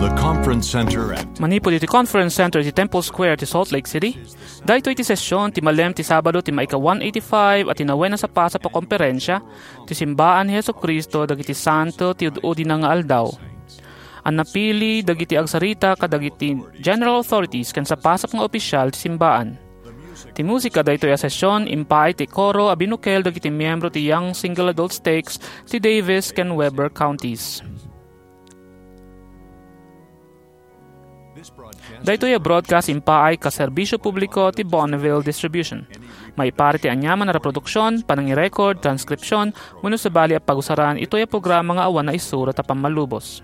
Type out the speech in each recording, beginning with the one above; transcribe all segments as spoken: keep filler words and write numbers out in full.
The Conference Center at Manipud iti Conference Center iti Temple Square ti Salt Lake City, daytoy ti session ti malem ti Sabado ti maika one eighty-five a tinawen a sapasap a komperensia ti simbaan ni Jesu-Cristo dagiti santo ti ud-udina nga aldaw. A napili dagiti agsarita kadagiti general authorities ken sapasap nga opisyal ti simbaan. Ti musika daytoy a session impaay ti koro a binukel dagiti miyembro ti Young Single Adult Stakes ti Davis ken Weber Counties. Daytoy a broadcast impaay ka serbisyo publiko ti Bonneville Distribution. Maipaay ti aniaman a reproduksion, panangirecord, transkripsion, wenno sabali a pagusaran itoy a programa nga awan naisurat a pammalubos.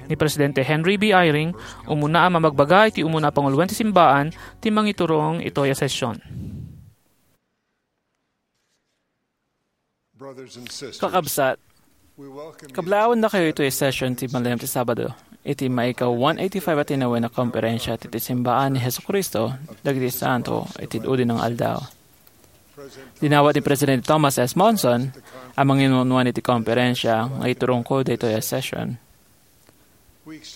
Ni Presidente Henry B. Eyring, umuna a mamagbaga iti umuna a panguloen ti simbaan ti mangiturong itoy a session. Brothers and sisters, Kakabsat, we welcome you kablaawan dakayo ito a session ti malem ti Sabado, iti maika one eighty-five a tinawen a komperensia ti, ti simbaan ni Jesu-Cristo dagiti santo iti udi nga aldaw. Dinawat ni Presidente Thomas S. Monson a manginunuan iti komperensia nga iturongko daytoy a session.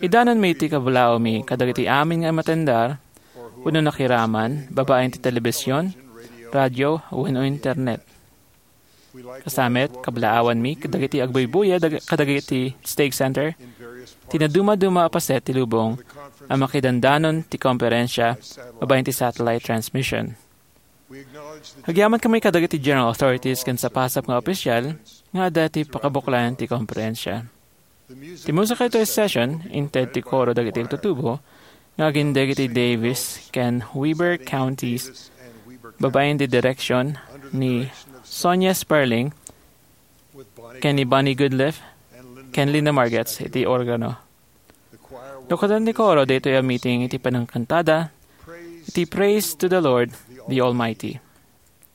Idanonmi ti kablaawmi kadagiti amin nga matendar wenno nakiraman babaen ti telebisyon, radio, wenno internet. Kasamet, kablaawanmi kadagiti agbuybuya dag-, kadagiti stake center ti nadumaduma a paset ti lubong a makidandanon ti komperensia babaen ti satellite transmission. Agyamankami kadagiti general authorities ken sapasap nga opisyal nga adda ti pakabuklan ti komperensia. Ti musika itoy session, inted ti koro dagiti agtutubo nga agindeg iti Davis ken Weber Counties, babaen ti direksyon ni Sonia Sperling ken ni Bonnie Goodliff ken Linda Margetts iti organo. Lukadan ti koro daytoy a meeting iti panangkantada iti Praise to the Lord, the Almighty.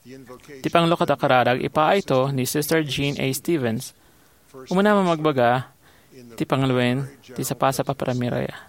Ti panglukad a kararag ipaayto ni Sister Jean A. Stevens. Umuna mamagbaga ti panguloen ti sapasap a primarya.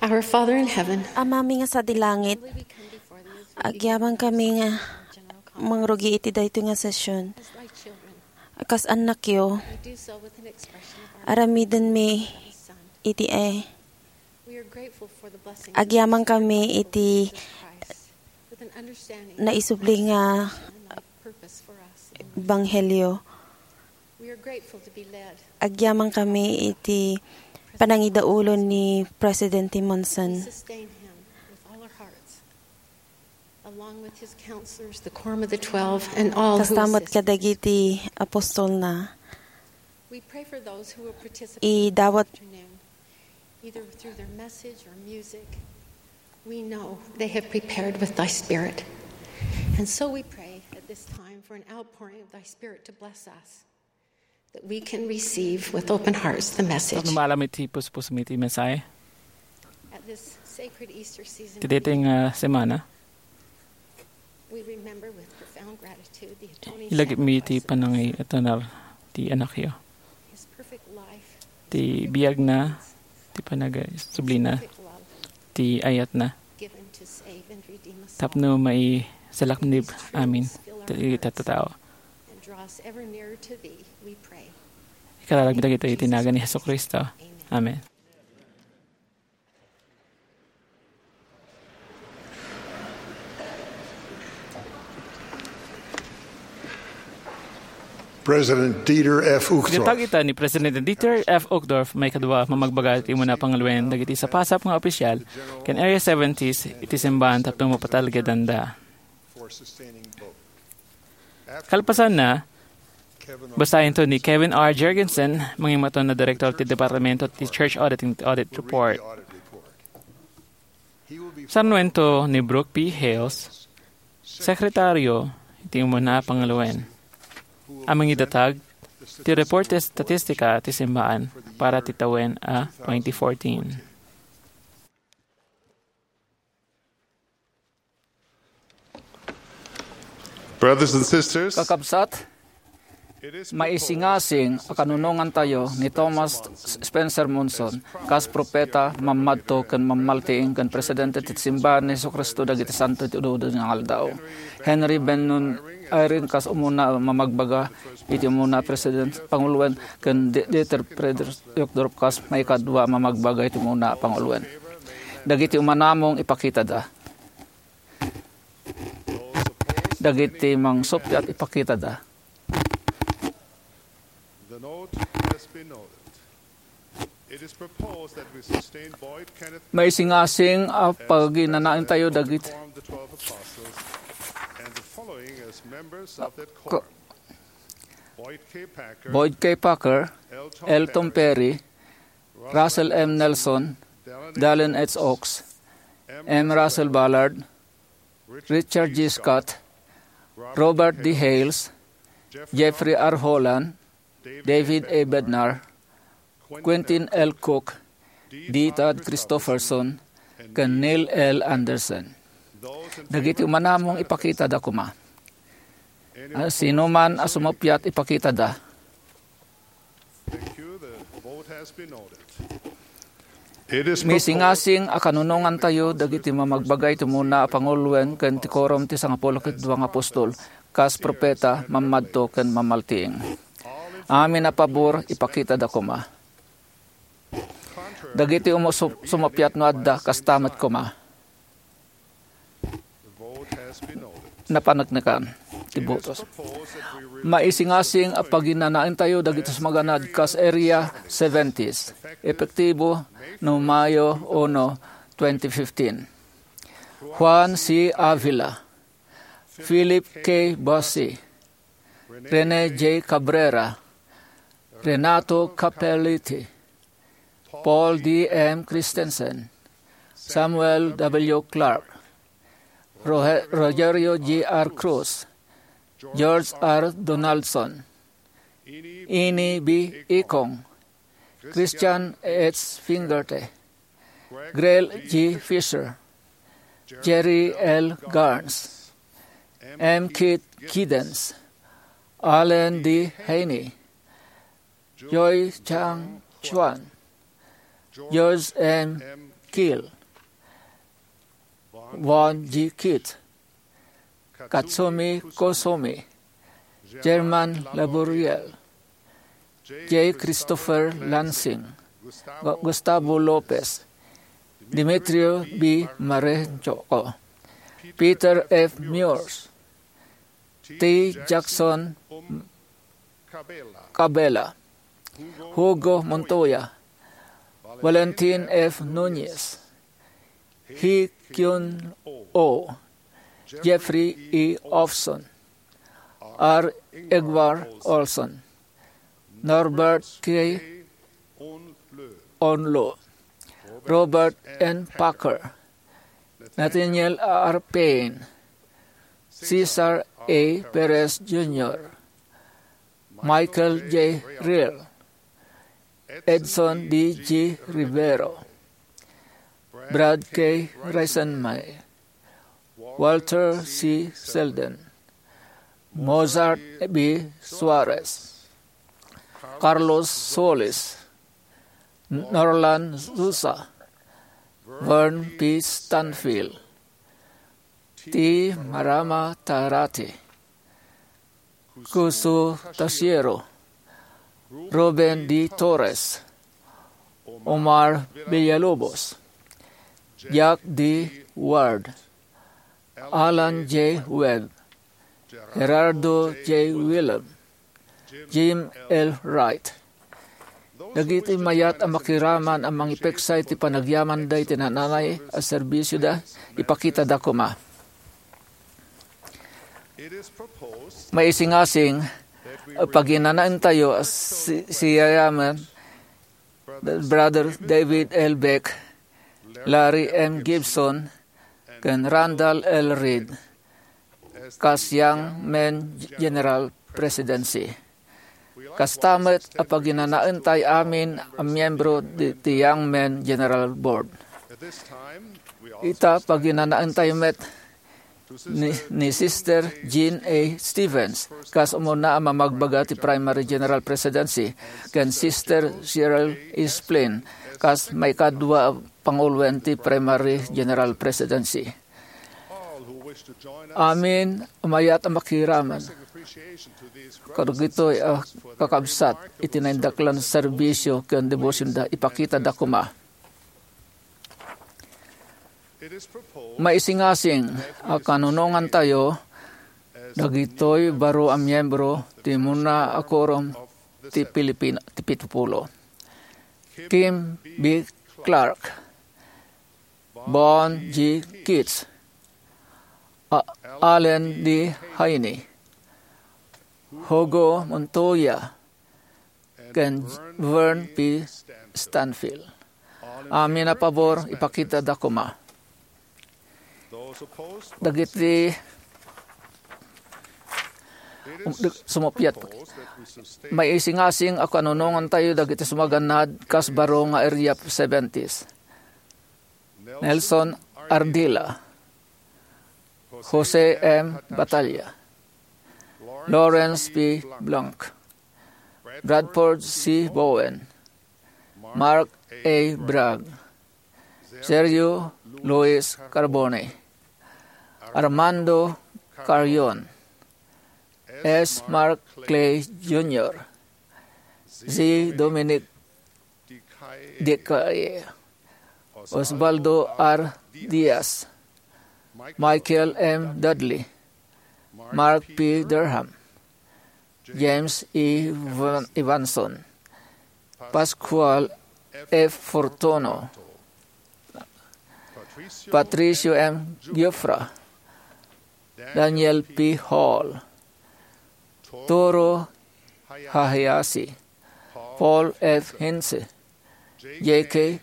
Our Father in heaven, Amami nga sadi langit, agyamankami nga mangrugi iti daytoy nga session. Kas annakyo, aramidenmi iti, eh, agyamankami iti naisubli nga ebanghelio. Agyamankami iti panangidaulon ni Presidente Monson. Kasta met kadagiti apostolna, idawat either through their message or music. We know they have prepared with thy spirit. And so we pray at this time for an outpouring of thy spirit to bless us, that we can receive with open hearts the message. Tapno maalam iti puspusmi ti mensahe At this sacred Easter season, ti daytoy nga semana, we remember with profound gratitude the atoning ilagipmi ti sacrifice of panangitanal ti anakyo, his perfect life, ti biagna, ti panagsublina, perfect love, ti ayatna, given to save and redeem us all. Tapno maisalaknib amin ti tattao. And draw us ever nearer to thee, we pray. Ikararagmi dagitoy iti nagan ni Jesu-Cristo. Amen. President Dieter F. Uchtdorf. Inatag ita ni President Dieter F. Uchtdorf, maikadua, mamagbaga iti umuna panguloen dagiti sapasap nga opisyal ken Area seventies iti simbahan tapno mapatalgedanda. Kalpasanna, basayento ni Kevin R. Jergensen, mangimaton a direktor ti Departamento ti Church Audit, iti Audit Report. Sarnuento ni Brooke P. Hales, Sekretario iti Umuna a Panguloen, a mangidatag ti report ti estatistika ti simbahan para ti tawen a twenty fourteen. Brothers and sisters, Kakabsat, maisingasing a kanunongantayo ni Thomas Spencer Monson kas propeta, mammadto ken mammaltiing ken presidente ti Simbahan ni Jesu-Cristo dagiti Santo iti Ududud nga Aldaw. Henry Bennion Eyring kas umuna a mamagbaga iti umuna a president, panguloen, ken Di-, Dieter Friedrich Uchtdorf kas maikadua a mamagbaga iti umuna a panguloen. Dagiti umanamong ipakitada. Dagiti mangsuppiat ipakitada. The note has been noted. It is proposed that we sustain Boyd Kenneth Maisingasing a paginanaentayo dagiti Quorum of the Twelve Apostles and the following as members of that quorum. Boyd K. Packer, Boyd K. Packer, L. Tom Perry, Russell M. Nelson, Dallin H. Oaks, M. Russell Ballard, Richard G. Scott, Robert D. Hales, Jeffrey R. Holland, David A. Bednar, Quentin L. Cook, D. Todd Christofferson, ken Neil L. Andersen. Dagiti umanamong ipakitada koma. A, sinuman a sumuppiat ipakitada. Thank you. The vote has been noted. It is proposed Misingasing a kanunongantayo dagiti mamagbaga iti umuna a panguloen ken ti Quorum ti Sangapulo ket Dua nga Apostol, kas propeta, mammadto ken mammaltiing. Amin a pabor, ipakitada koma. Dagiti umu-, su-, sumuppiat no adda, kasta met koma. Napaneknekan ti botos. Maisingasing a paginanaentayo dagiti sumaganad kas Area seventies, epektibo no Mayo uno, twenty fifteen. Juan C. Avila, Philip K. Bassi, Rene J. Cabrera, Renato Capelletti, Paul D. M. Christensen, Samuel W. Clark, Roge-, Rogerio G. R. Cruz, George R. Donaldson, Ini B. Ikong, Christian H. Fingerte, Grail G. Fisher, Jerry L. Garns, M. Keith Giddens, Allen D. Haney, Joy Chang Chuan, George M. Keel, Juan G. Kitt, Katsumi Koizumi, German Laboriel, J. Christopher Lansing, Gu-, Gustavo Lopez, Demetrio B. Marenchoco, Peter F. Meurs, T. Jackson Cabela, Hugo Montoya, Valentin F. Nunez, Hee Kyun Oh, Jeffrey E. Ofson, R. Edward Olson, Norbert K. Onloo, Robert N. Packer, Nathaniel R. Payne, Cesar A. Perez Junior, Michael J. Rear, Edson D. G. Rivero, Brad K. Reisman, Walter C. Selden, Mozart B. Suarez, Carlos Solis, Norlan Zusa, Vern P. Stanfill, T. Marama Tarati, Kusu Tasiero, Ruben D. Torres, Omar Villalobos, Jack D. Ward, Alan J. Webb, Gerardo J. Willem, Jim L. Wright. Dagiti mayat a makiraman a mangipeksa iti panagyamanda iti naan-anay a serbisioda, ipakitada koma. Maisingasing a paginanaentayo a si-, siyayaman Brother David L. Beck, Larry M. Gibson, ken Randall L. Reed kas Young Men General Presidency. Kasta met a paginanaentay amin a miyembro di, ti Young Men General Board. Ita, paginanaentay met ni, ni Sister Jean A. Stevens kas umuna a mamagbaga ti Primary General Presidency, ken Sister Cheryl E. Splin kas maikadua a panguloen ti Primary General Presidency. Amin a mayat a makiraman kadagitoy a kakabsat iti naindaklan a serbisio ken debosionda, ipakitada koma. Maisingasing a kanunongantayo dagitoy baro a miyembro ti umuna a quorum ti Pilipin-, ti Pitupulo. Kim B. Clark, Bon G. Keats, A-, Allen D. Heaney, Hugo Montoya, ken Vern P. Stanfill. Amin a pabor, ipakitada koma. Dagiti, um, sumuppiat. Maisingasing a kanunongantayo dagiti sumagannad kas baro nga Area seventies. Nelson Ardila, Jose M. Batalla, Lawrence P. Blanc, Bradford C. Bowen, Mark A. Bragg, Sergio Luis Carbone, Armando Carrion, S. Mark Clay Junior, Z. Dominic Dicaye, Osvaldo R. Diaz, Michael M. Dudley, Mark P. Durham, James E. Van-, Evanson, Pascual F. Fortuno, Patricio M. Giuffra, Daniel P. Hall, Toru Hayashi, Paul F. Heinze, J K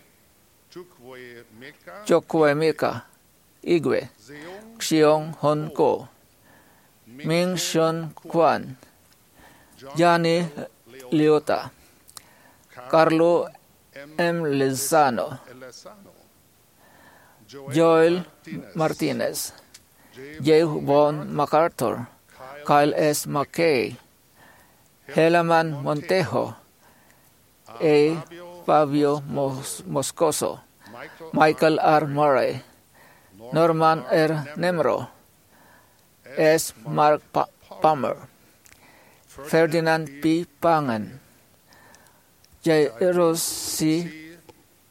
Chukwuemeka Igwe, Xiong Hon Ko, Ming Shun Kwan, Johnny Liota, Carlo M. Lezano, Joel Martinez, J. Bon MacArthur, Kyle S. McKay, Helaman Montejo, A. Fabio Mos-, Moscoso, Michael R. Murray, Norman R. Nemro, S. Mark Pa- Palmer, Ferdinand P. Pangan, Jairus C.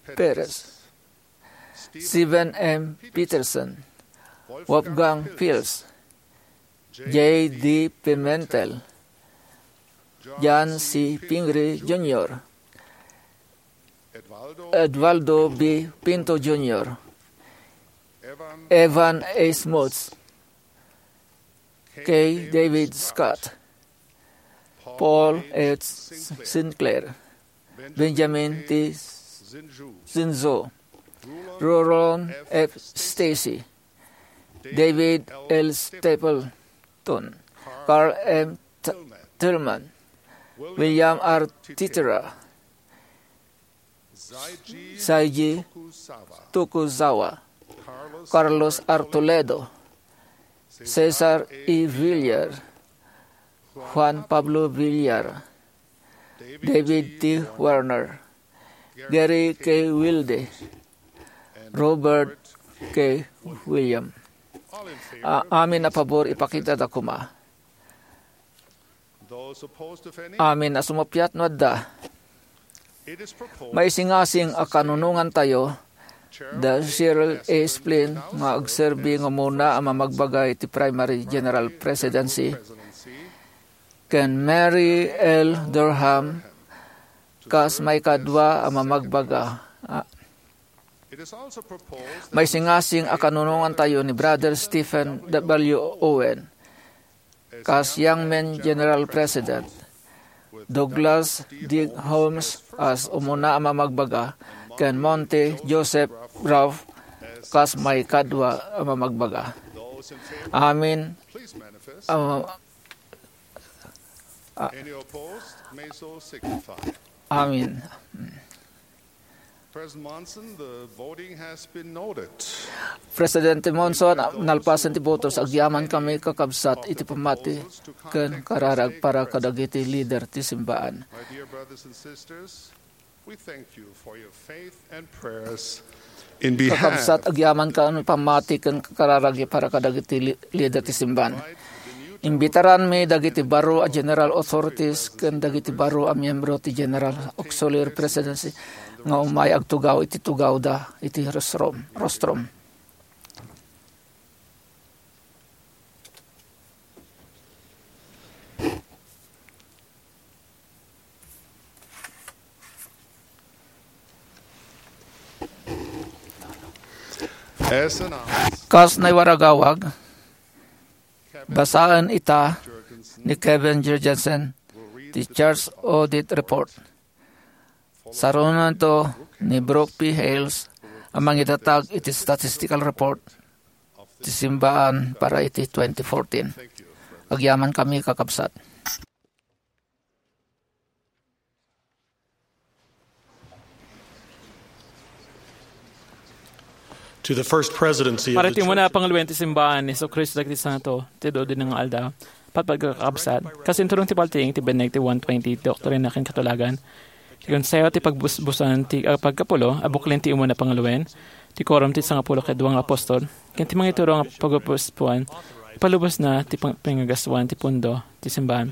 Perez, Steven M. Peterson, Wolfgang Fils, J D Pimentel, John C. Pingree Junior, Eduardo B. Pinto Junior, Evan A. Smuts, K. David Scott, Paul H. Sinclair, Benjamin T. Zinzo, Rulon F. Stacy, David L. Stapleton, Carl M. T- Tillman, William R. Titira, Saiji Tokuzawa, Carlos R. Toledo, Cesar E. Villar, Juan Pablo Villar, David T. Werner, Gary K. Wilde, Robert K. William. A- amin a pabor, ipakita da kuma. Amin a sumuppiat no adda. Maisingasing a kanunongantayo da Cheryl A. Splint nga agserbi nga umuna a mamagbaga iti Primary General Presidency, ken Mary L. Durham kas maikadua a mamagbaga. A- Maisingasing a kanunongantayo ni Brother Stephen W. Owen kas Young Men General President, Douglas D. Holmes as umuna a mamagbaga, ken Monte Joseph Ralph kas maikadua a mamagbaga. Amin. Ah, ah, Any opposed? May so signify. Amin. President Monson, the voting has been noted. Presidente Monson, nalpasen ti botos. Agyamankami, kakabsat, iti pammati ken kararag para kadagiti lider ti simbaan. My dear brothers and sisters, we thank you for your faith and prayers in behalf. Kakabsat, agyamankami pammati ken kararag para kadagiti li-, lider ti simbaan. Imbitaranmi dagiti baro a general authorities ken dagiti baro a miyembro ti General Auxiliary Presidency nga umay agtugaw iti tugawda iti rostrum. Rostrum. As announced, kas naiwaragawag, basaen ita ni Kevin Jurgensen ti Church Audit Report. Sarunonto ni Brooke P. Hales a mangidatag iti statistical report ti simbaan para iti twenty fourteen. Agyamankami, kakabsat. To the First Presidency of Para the ti umuna a Church of pangaluen ti simbaan ni Jesu-Cristo dagiti Santo ti Adu-adu nga Aldaw, patpat nga kakabsat, kas inturong ti paltiing ti biag ti one twenty Doktrina ken Katulagan, ti Konseho ti Pagbusbusan ti Pagkapulo a buklin ti umuna a pangaluen, ti Quorum ti Sangapulo ket Dua nga Apostol, ken ti mangituro nga pagpuspuan, ipalubosna ti pang-, pangagaswan ti pondo ti simbaan.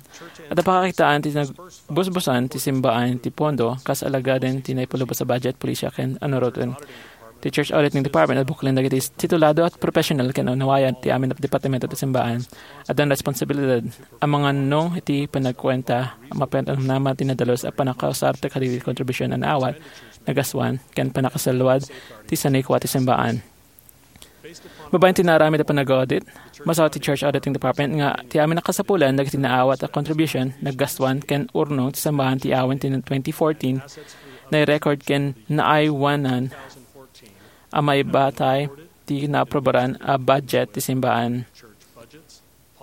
Adda pakakitaan ti nagbusbusan ti simbaan ti pondo kas alagaden ti naipalubos a budget, pulisya, ken anuroten. Ti Church Auditing Department a buklin dagiti titulado a professional ken naunawayan ti amin a departamento ti simbaan. Adda responsibilidad a mangannong iti panagkuenta a mapanamnama ti nadalus a pannakausar ti kadagiti kontribusion a naawat, nagaswan, ken pannakasaluad ti sanikua ti simbaan. Babaen ti naaramid a panag-audit, masaw ti Church Auditing Department nga ti amin a kasapulan dagiti naawat a contribution, naggastuan, ken urnong ti simbaan ti awan ti twenty fourteen, nai-record ken naaywanan a maibatay ti naaprobaran a budget ti simbaan.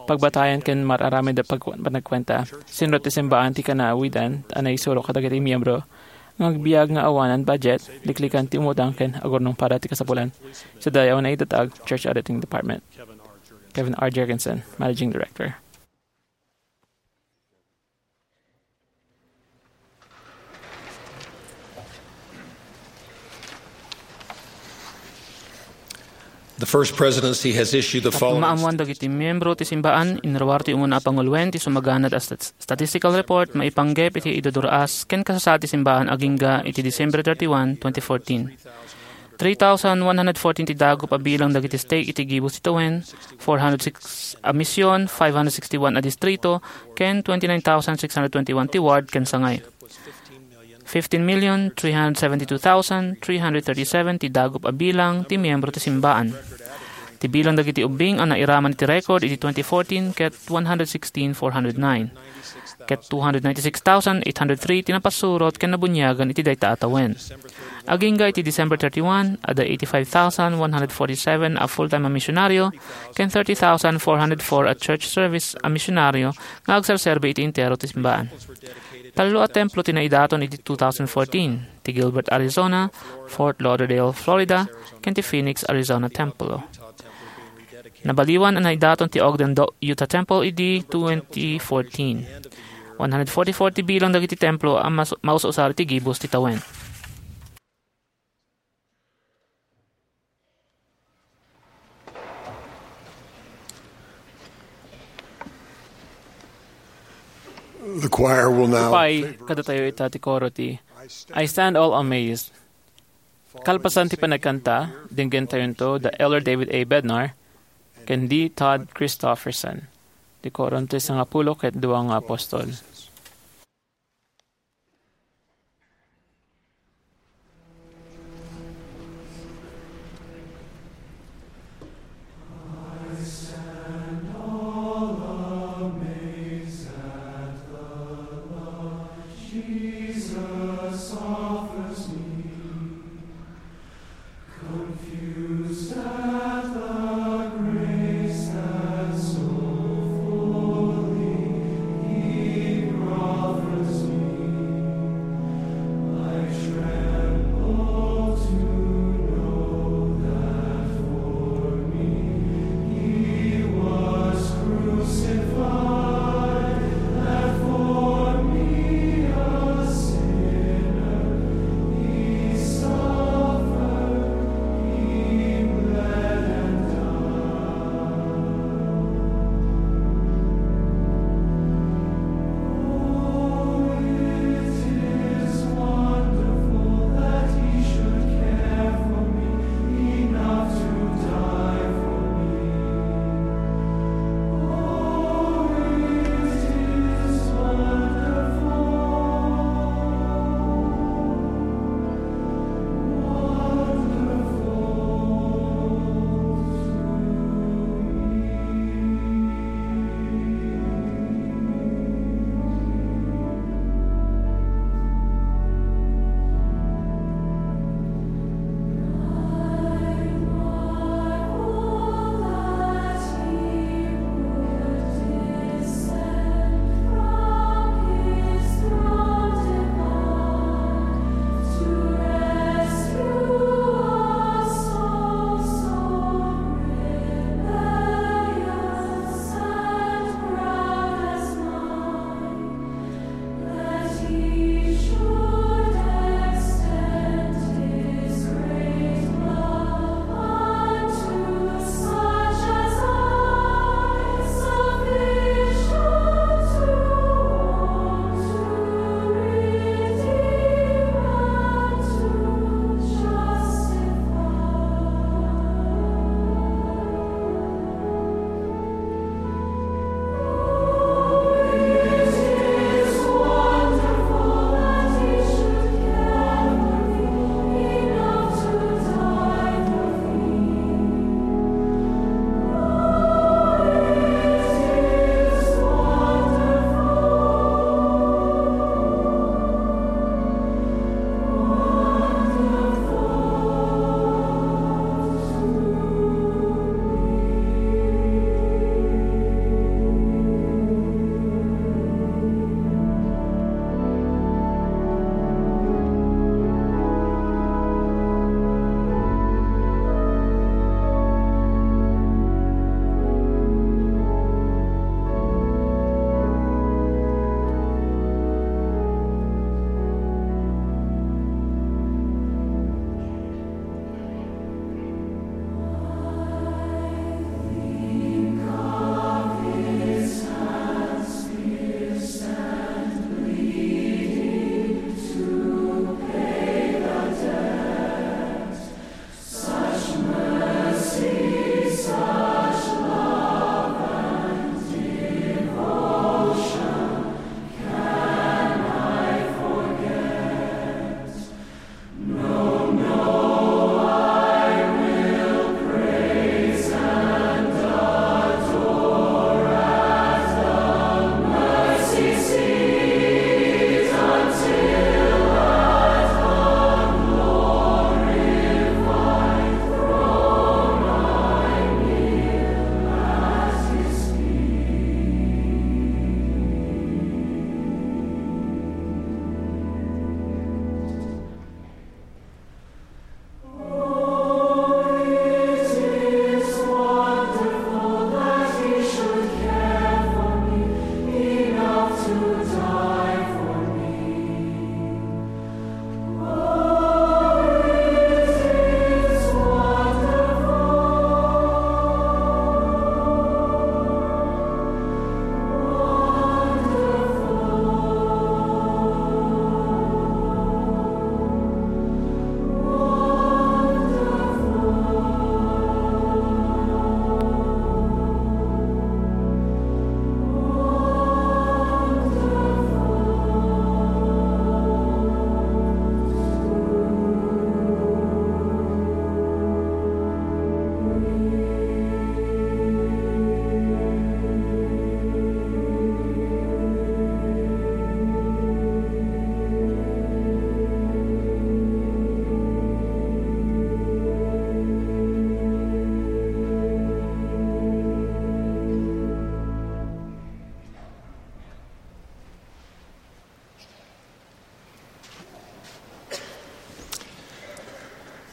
Pagbatayan ken mar-aramid a pag-, panagkuenta. Sinrot ti simbaan ti kanawidan a naisuro kadagiti miyembro nga agbiag nga awanan budget, liklikan ti umutang ken agurnong para ti kasapulan. Sa dayaw naidatag, Church Auditing Department. Kevin R. Jergensen, Managing Director. The First Presidency has issued the following. Tapno maammuan dagiti miyembro ti simbaan, inruar ti umuna a panguloen ti sumaganad a stat-, statistical report maipanggep iti idudur-as ken kasasaad ti simbaan agingga iti December thirty-one, twenty fourteen. Three thousand one hundred fourteen ti dagup a bilang dagiti stake iti gibus ti tawen, four hundred six a mision, five hundred sixty-one a distrito, ken twenty-nine thousand six hundred twenty-one ti ward ken sangay. Fifteen million three hundred seventy-two thousand three hundred thirty-seven ti dagup a bilang ti miyembro ti simbaan. Ti bilang dagiti ubbing a nairaman iti record iti twenty fourteen ket one hundred sixteen four hundred nine, ket two hundred ninety-six thousand eight hundred three ti napasurot ken nabuniagan iti dayta a tawen. Agingga iti December thirty-one, adda eighty-five thousand one hundred forty-seven a full-time a misionaryo ken thirty thousand four hundred four a church service a misionaryo nga agserserbi iti entero ti simbaan. Tallo a templo ti naidaton iti two thousand fourteen, ti Gilbert, Arizona, Fort Lauderdale, Florida, ken ti Phoenix, Arizona Templo. Nabaliwan a naidaton ti Ogden Do-, Utah Temple idi twenty fourteen. One hundred forty-four ti bilang dagiti templo a mas-, maus-usar iti gibus ti tawen. The choir will now Upay, kadatayo ita ti koro ti I Stand All Amazed. Kalpasan ti panagkanta, denggentayonto da Elder David A. Bednar ken D. Todd Christofferson, ti koron ti sangapulo ket dua nga apostol.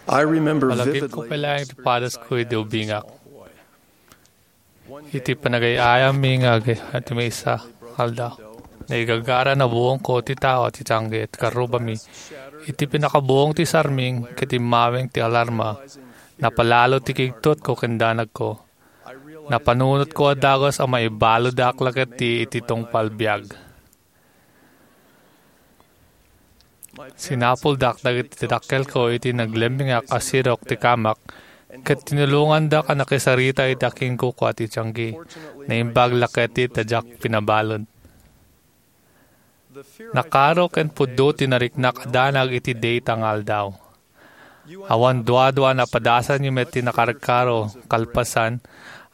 I remember Malagipko vividly pay laeng ti padasko idi ubingak. Iti panagay-ayammi nga ag-, iti maysa aldaw, naigagara nabuongko ti tao ti tianggi ket karrubami. Iti pinakabuong ti sarming ket immaweng ti alarma, napalalo ti kigtotko ken danagko. Napanunotko a dagus a maibaludak la ketdi iti tungpal biag. Sinapuldak dagiti dakkelko iti naglemmingak a sirok ti kamak, ket tinulongandak a nakisarita iti akinkukua ti tianggi. Naimbag la ketdi ta diak pinabalud. Nakaro ken pudno ti nariknak a danag iti dayta nga aldaw. Awan duadua a napadasanyo met ti nakarkaro, kalpasan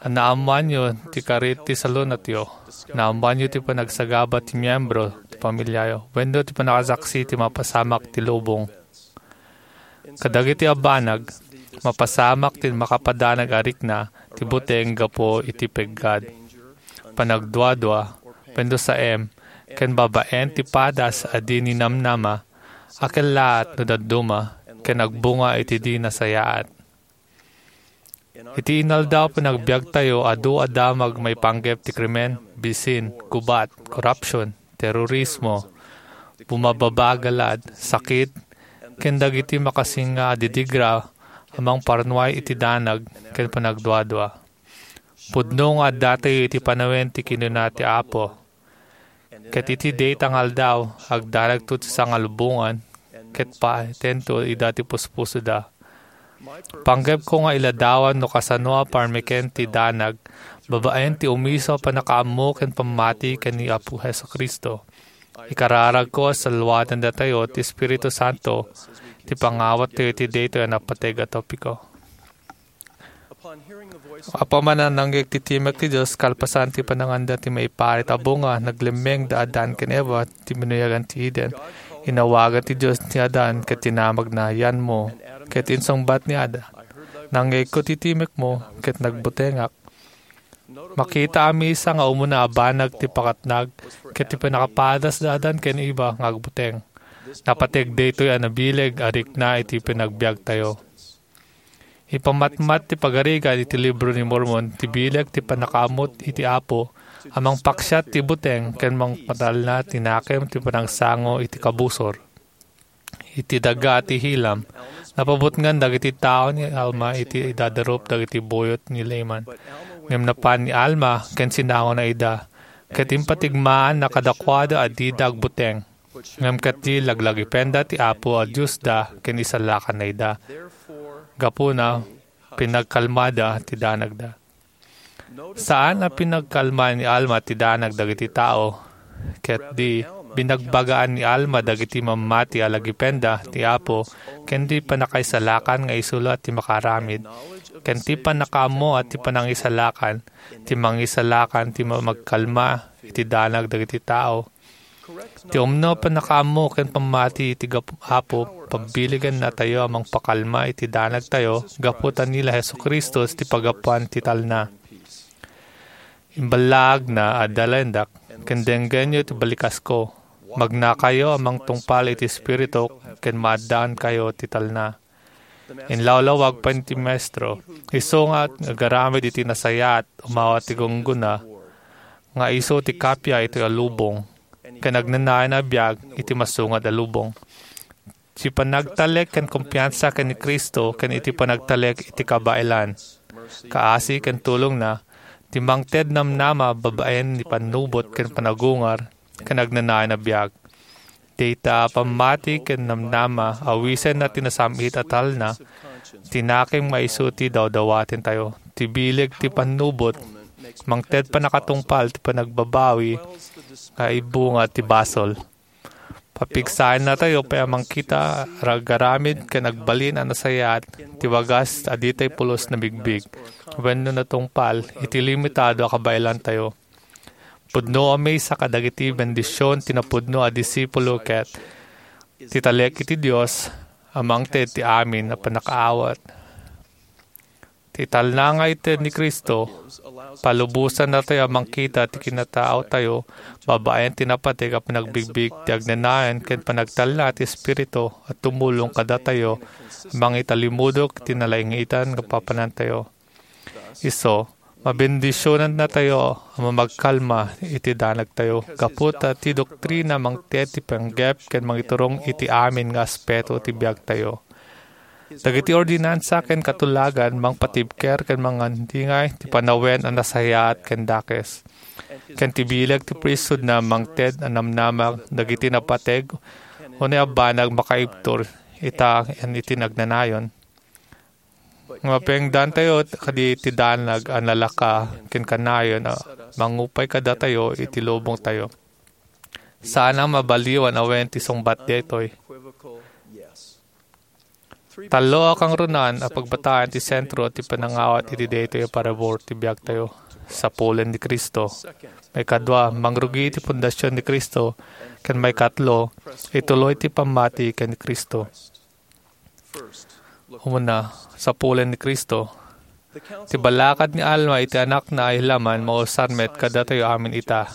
a naammoanyo ti karit ti salunatyo, naammoanyo ti panagsagaba ti miembro ti pamiliayo, wenno ti pannakasaksi ti mapasamak ti lubong. Kadagiti a banag, mapasamak ti makapadanag a rikna ti buteng gapu iti peggad, panagduadua, wenno saem, ken babaen ti padas a di ninamnama, a kellaat no dadduma, ken agbunga iti di nasayaat. Iti inaldaw panagbiagtayo, adu a damag maipanggep ti krimen, bisin, gubat, korupsion, terorismo, bumababa a galad, sakit, ken dagiti makasinga a didigra a mangparnuay iti danag ken panagduadua. Pudno nga addatayo iti panawen ti kinuna ti Apo. Ket iti dayta nga aldaw, agdanagto ti sangalubongan, ket paitento ida ti puspusoda. Panggepko nga iladawan no kasano a parmeken ti danag babaen ti omiso a pannakaammo ken pammati ken ni Apo Jesu-Cristo. Ikararagko a salwadandatayo ti Espiritu Santo ti pangawattayo iti daytoy a napateg a topiko. Apaman a nangngeeg ti timek ti Dios, kalpasan ti pananganda ti maiparit a bunga, naglemmeng da Adan ken Eva, ti binuyagan ti Eden. Inawagan ti Dios ni Adan ket tinamagna, "Yanmo," ket insungbat ni Adan, "Nangngeegko ti timekmo, ket nagbutengak." Makita a maysa nga umuna a banag ti pakatnag ket ti pannakapadas da Adan ken Eva nga agbuteng. Napateg daytoy a nabileg a rikna iti panagbiagtayo. Ipamatmat ti pagarigan iti Libro ni Mormon ti bileg ti pannakaammo iti Apo a mangpaksiat ti buteng ken mangpatalna ti nakem ti panagsango iti kabusor. Iti daga ti Helam, napabutngan dagiti tao ni Alma iti idadarup dagiti buyot ni Laman. Ngem napan ni Alma ken sinangona ida, ket impatigmaanna kadakuada a dida agbuteng. Ngem ket di laglagipenda ti Apo a Diosda ken isalakanna ida. Gapuna, pinagkalmada ti danagda. Saan a pinagkalma ni Alma ti danag dagiti tao, ket di binagbagaan ni Alma dagiti mammati a lagipenda ti Apo ken ti pannakaisalakan nga isu la ti makaaramid, ken ti pannakaammo a ti panangisalakan, ti mangisalakan ti ma-, magkalma iti danag dagiti tao. Ti umno a pannakaammo ken pammati iti gap-, Apo, pabbiligannatayo a mangpakalma iti danagtayo gapu ta ni la Jesu-Cristo ti paggapuan ti talna. Imballaagna a dalendak, ken denggenyo ti balikasko. Magnakayo a mangtungpal iti Espiritu ken maaddaankayo ti talna. Inlawlawag pay ti Maestro. Isu nga agaramid iti nasayaat, umawat ti gunggona, nga isu ti kappia iti lubong, ken agnanayon a biag iti masungad a lubong. Ti panagtalek ken kumpiansa ken ni Cristo ken iti panagtalek iti kabaelan, kaasi ken tulongna, ti mangted namnama babaen ni pannubot ken panagungar, ken agnanayon a biag. Dayta a pammati ken namnama, awisenna ti nasam-it a talna, ti nakem nga isu ti dawdawatentayo. Ti bileg ti pannubot, mangted pannakatungpal ti panagbabawi nga ibunga ti basol. Papigsaennatayo pay a mangkita, agaramid ken agbalin a nasayaat ti wagas a ditay pulos nabigbig wenno natungpal iti limitado a kabaelantayo. Pudno a maysa kadagiti bendision ti napudno a disipulo ket ti talek iti Dios a mangted ti amin a pannakaawat. Ti talna nga ited ni Cristo, palubosannatayo a mangkita ti kinataotayo babaen ti napateg a panagbigbig ti agnanayon ken panagtalna ti Espiritu a tumulong kadatayo a mangitalimudok ti nalaingitan nga papanantayo. Isu, mabendisionannatayo a mamagkalma iti danagtayo gapu ta ti doktrina mangted ti panggep ken mangiturong iti amin nga aspeto ti biagtayo. Dagiti ordinansa ken katulagan mangpatibker ken mangandingay ti panawen a nasayaat ken dakes. Ken ti bileg ti priesthood na mangted a namnama dagiti napateg, unay a banag makaibtur ita ken iti nagnanayon. Nga mapengdantayo kadi ti danag a nalaka ken kanayon a mangupay kadatayo iti lubongtayo. Saan a mabaliwan a wen ti sungbat daytoy. Tallo a kangrunaan a pagbataan ti sentro ti panangawat iti daytoy a parabur ti biagtayo. Sapulen ni Cristo. Maikadua, mangrugi ti pundasyon ni Cristo. Ken maikatlo, ituloy ti pammati ken ni Cristo. Umuna, sapulen ni Cristo. Ti balakad ni Alma iti Anakna a ilaman mausar met kadatayo amin ita.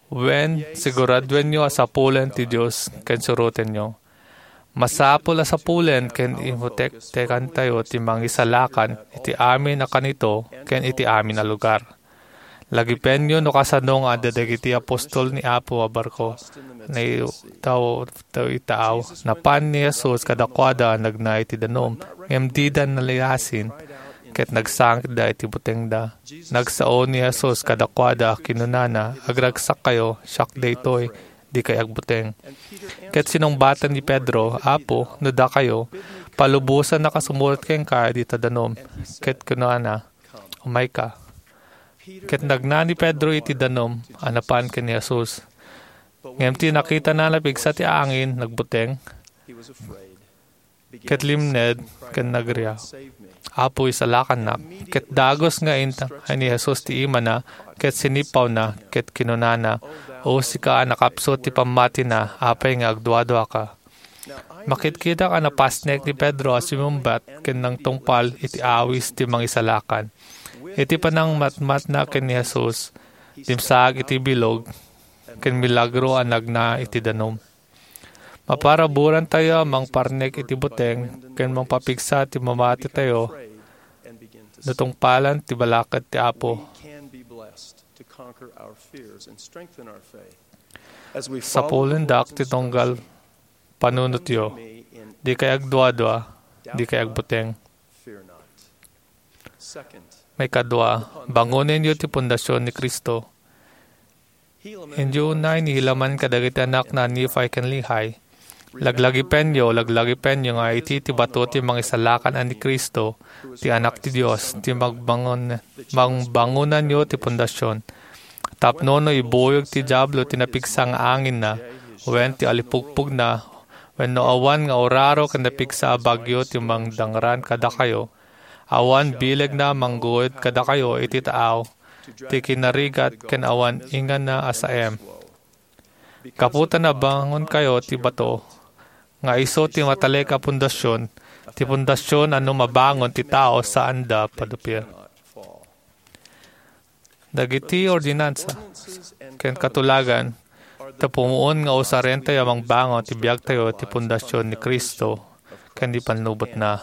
Wen, siguraduenyo a sapulen ti Dios ken surotenyo. Masapul a sapulen ken imutektekantayo ti mangisalakan iti amin a kanito ken iti amin a lugar. Lagipenyo no kasano nga adda dagiti apostol ni Apo a barko. Naitaw taw itaaw. Napan ni Jesus kadakuada a nagna iti danum, ngem dida naliasin, ket nagsangitda iti butengda. Nagsao ni Jesus kadakuada, kinunana, "Agragsakkayo, siak daytoy, dikay agbuteng." Ket sinungbaten ni Pedro, "Apo, no dakayo, palubosannak a sumurotek kenka iti danum." Ket kunana, "Umayka." Ket nagna ni Pedro iti danum a napan ken ni Jesus. Ngem ti nakitana, napigsa ti angin, nagbuteng, ket limned ken nagria, "Apo, isalakannak." Ket dagus nga intangay ni Jesus ti imana ket sinipawna ket kinunana, "O sika a nakapsut ti pammatina, apay nga agduaduaka?" Makitkitak a napasnek ni Pedro a sumungbat ken nangtungpal iti awis ti mangisalakan. Iti panangmatmatna ken ni Jesus, dimsaag iti bilog ken milagro a nagna iti danum. Maparaburantayo a mangparnek iti buteng ken mangpapigsa ti mamatitayo no tungpalan ti balakad ti Apo. Sapulendak ti tunggal panunotyo, dikay agduadua, dikay agbuteng. Maikadua, bangonenyo ti pundasyon ni Cristo. Indio unay ni Helaman kadagiti anakna a Nephi ken Lehi. Laglagipenyo, laglagipenyo nga iti ti bato ti mangisalakan a ni Cristo, ti Anak ti Dios, ti magbangon-, mangbangonanyo ti pundasyon. Tapno no ibuyog ti Diablo ti napigsa nga anginna, wen ti alipugpugna, wenno awan nga uraro ken napigsa a bagyo ti mangdangran kadakayo, awan bilegna manggued kadakayo iti taaw ti kinarigat ken awan ingana a saem. Gapu ta nabangonkayo ti bato, nga isu ti matalek a pundasyon, ti pundasyon a no mabangon ti tao, saanda padupir. Dagiti ordinansa ken katulagan, ta pumuon nga usarentayo a mangbangon ti biagtayo ti pundasyon ni Cristo ken ni pannubotna.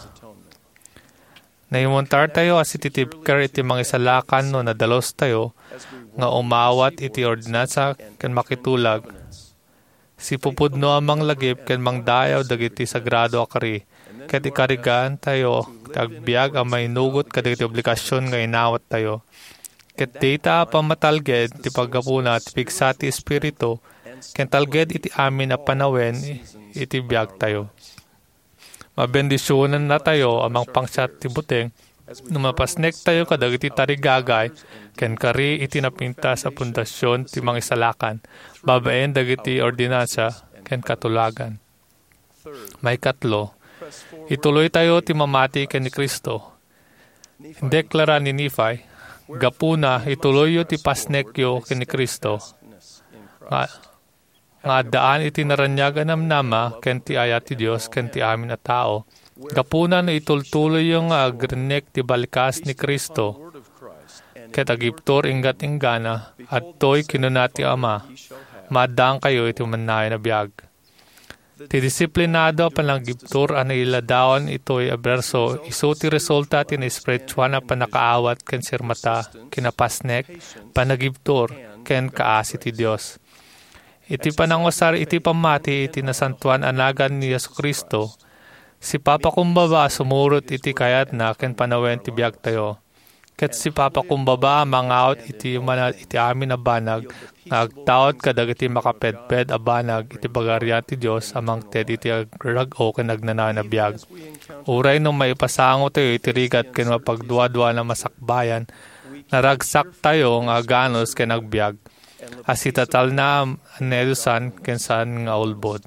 Naimuntartayo a sititibker iti mangisalakan no nadalustayo nga umawat iti ordinansa ken makitulag. Sipupudno a manglagip ken mangdayaw dagiti sagrado a kari, ket ikarigantayo ti agbiag a mainugot kadagiti obligasion nga inawattayo. Ket dayta a pammatalged ti paggapuna ti pigsa ti Espiritu ken talged iti amin a panawen iti biagtayo. Mabendisionannatayo a mangpangsiat ti buteng no mapasnektayo kadagiti tarigagay ken kari iti napintas a pundasyon ti mangisalakan babaen dagiti ordinansa ken katulagan. Maikatlo, ituloytayo ti mamati ken ni Cristo. Indeklara ni Nephi, gapuna, ituloyyo ti pasnekyo ken ni Cristo. Nga, nga addaan iti naraniag a namnama ken ti ayat ti Dios ken ti amin a tao, Gapuna no itultuloyyo nga agrimek ti balikas ni Cristo, ket agibtur inggat-inggana, adtoy kinuna ti Ama, "Maaddaankayo iti mannayon a biag." Ti disiplinado a panagibtur a nailadawan itoy a berso, isu ti resulta ti naespirituan a pannakaawat ken sirmata, kinapasnek, panagibtur, ken kaasi ti Dios. Iti panangusar iti pammati iti nasantoan a nagan ni Jesu-Cristo, sipapakumbaba a sumurot iti kayatna ken panawen ti biagtayo. Ket sipapakumbaba a mangawat iti umana iti amin a banag nga agtaud kadagiti makapedped a banag iti Pagarian ti Dios a mangted iti agrag-o ken agnanayon a biag. Uray no maipasangotayo iti rigat ken mapagduaduan a masakbayan, naragsaktayo nga aganus ken agbiag. A sitatalna a nadusan ken saan nga ulbod.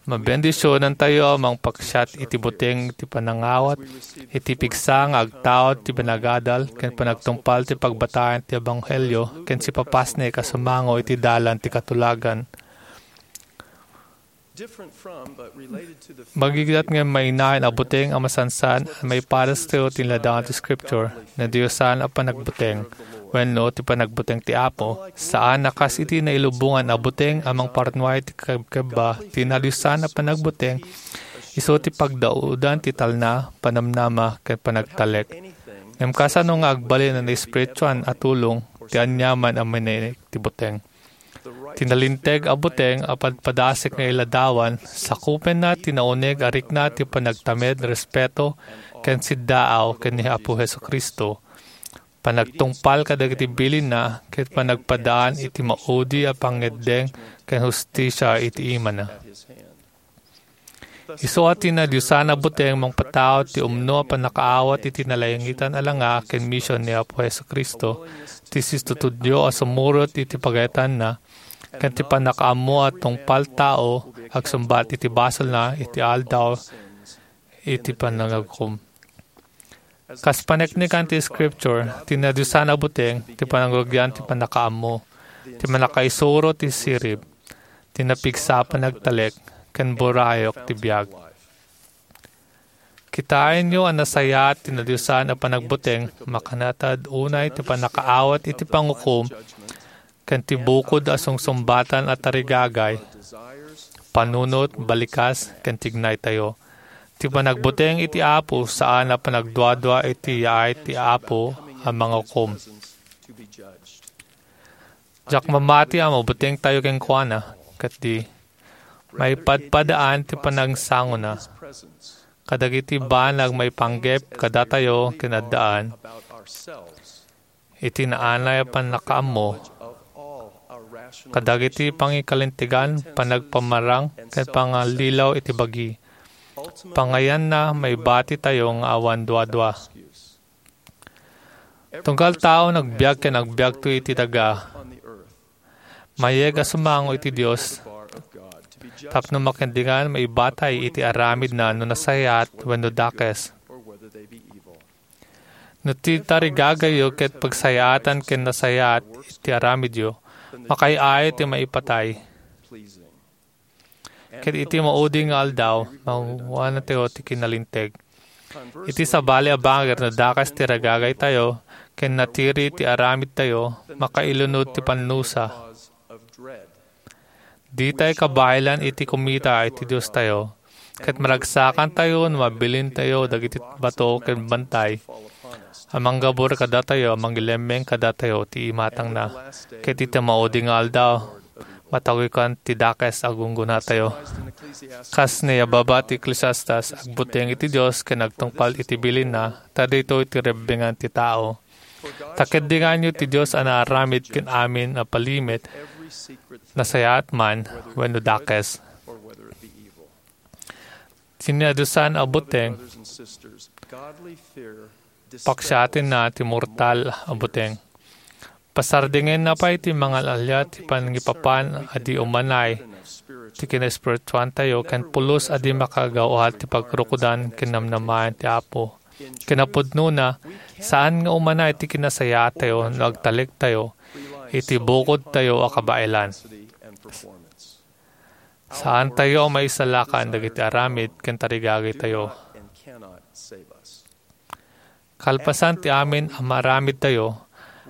Mabendisionantayo a mangpaksiat iti buteng ti panangawat, iti pigsa nga agtaud ti panagadal, ken panagtungpal ti pagbatayan ti ebanghelio, ken sipapasnek a sumango iti dalan ti katulagan. Different from, but related to the Magigidat nga mainayon a buteng a masansan a maipadastayo ti ladawan ti Scripture, nadiosan a panagbuteng, wenno ti panagbuteng ti Apo, saan a kas iti nailubongan a buteng a mangparnuay ti kebkebba ti nadiosan a panagbuteng, isu ti pagdaudan ti talna, panamnama, ken panagtalek. Ngem kasano nga agbalin a naespirituan a tulong ti aniaman a manaek ti buteng? Ti nalinteg a buteng a padpadasek nga iladawan, sakupenna ti nauneg a rikna ti panagtamed, respeto, ken siddaaw ken ni Apo Jesu-Cristo, panagtungpal kadagiti bilinna, ket panagpadaan iti maudi a pangngeddeng ken hustisia iti imana. Isu a ti nadiosan a buteng mangpataud ti umno a pannakaawat iti nalangitan a langa ken mision ni Apo Jesu-Cristo, ti situtudyo a sumurot iti pagayatanna, ken ti pannakaammo a tungpal tao agsumbat iti basolna iti aldaw iti panangagukom. Kas paneknekan ti Scripture, ti nadiosan a buteng ti panangrugian ti pannakaammo, ti mannakaisuro ti sirib, ti napigsa a panagtalek, ken burayok ti biag. Kitaenyo a nasayaat ti nadiosan a panagbuteng, makanatad unay ti pannakaawat iti pangukom, ken ti bukod a sungsumbatan a tarigagay, panunot, balikas, ken tignaytayo. Ti panagbuteng iti Apo saan a panagduadua iti yaay ti Apo a mangukom. Diak mamati a mabutengtayo kenkuana, ket di, maipadpadaan ti panangsangona kadagiti banag maipanggep kadatayo ken addaan iti naanay a pannakaammo kadagiti pangikalintegan, panagpamarang, ken pangallilaw iti bagi. Pangayanna, maibatitayo nga awan duadua. Tunggal tao nagbiag ken agbiagto iti daga. Mayeg a sumango iti Dios tapno makendengan maibatay iti aramidna no nasayaat wenno dakes. No ti tarigagayyo ket pagsayaatan ken nasayaat iti aramidyo, makaay-ayo ti maipatay. Ket iti maudi nga aldaw, makukuanatayo ti kinalinteg. Iti sabali a bangir no dakes ti ragagaytayo ken natiri ti aramidtayo, makailunod ti pannusa. Ditay kabaelan iti kumita iti Diostayo, ket maragsakantayo no mabilintayo dagiti bato ken bantay a manggabur kadatayo a mangilemmeng kadatayo ti imatangna. Ket iti maudi nga aldaw, matagukan ti dakes a gunggonatayo. Kas naibaba ti Ecclesiastes, agbuteng iti Dios ken agtungpal iti bilinna, ta daytoy ti rebbengan ti tao. Ta keddenganyo ti Dios a naaramid ken amin a palimed, nasayaat man wenno dakes. Ti nadiosan a buteng, paksiatenna ti mortal a buteng. Pasardingenna pay ti mangal-alia ti panangipapan a di umanay ti kinaespirituantayo ken pulos a di makagawad ti pagrukodan ken namnamaen ti Apo. Kinapudnona, saan nga umanay ti kinasayaatayo no agtalektayo iti bukodtayo a kabaelan. Saantayo a maisalakan dagiti aramid ken tarigagitayo. Kalpasan ti amin a maaramidtayo,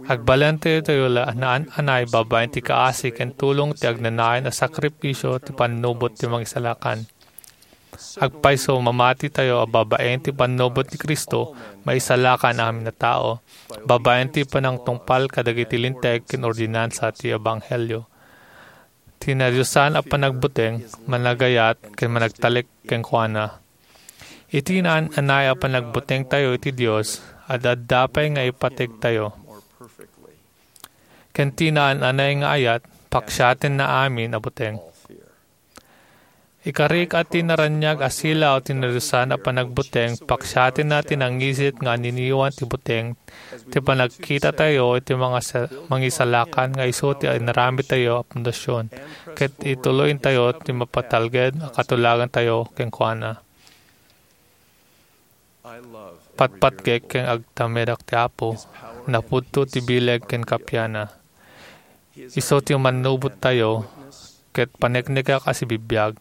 agbalentayo tayo la a naan-anay babaen ti kaasi ken tulong ti agnanayon a sakripisio ti pannubot ti Mangisalakan. Agpayso, mamatitayo a babaen ti pannubot ni Cristo, maisalakan amin a tao, babaen ti panangtungpal kadagiti linteg ken ordinansa ti ebanghelio. Ti nadiosan a panagbuteng, managayat, ken managtalek kenkuana. Iti naan-anay a panagbutengtayo iti Dios, ad-adda pay nga ipategtayo. Ken ti naan-anay nga ayat, paksiatenna amin a buteng. Ikarik a ti naraniag a silaw ti nadiosan a panagbuteng, paksiatenna ti nangisit nga aniniwan ti buteng, ti panagkitatayo iti mangasa-, mangisalakan nga isu ti inaramidtayo a pundasion, ket ituloyentayo ti mapatalged a katulagantayo kenkuana. Patpatgek ken agtamedak ti Apo, napudto ti bileg ken kapiana. Isu ti mannubottayo, ket paneknekak a sibibiag,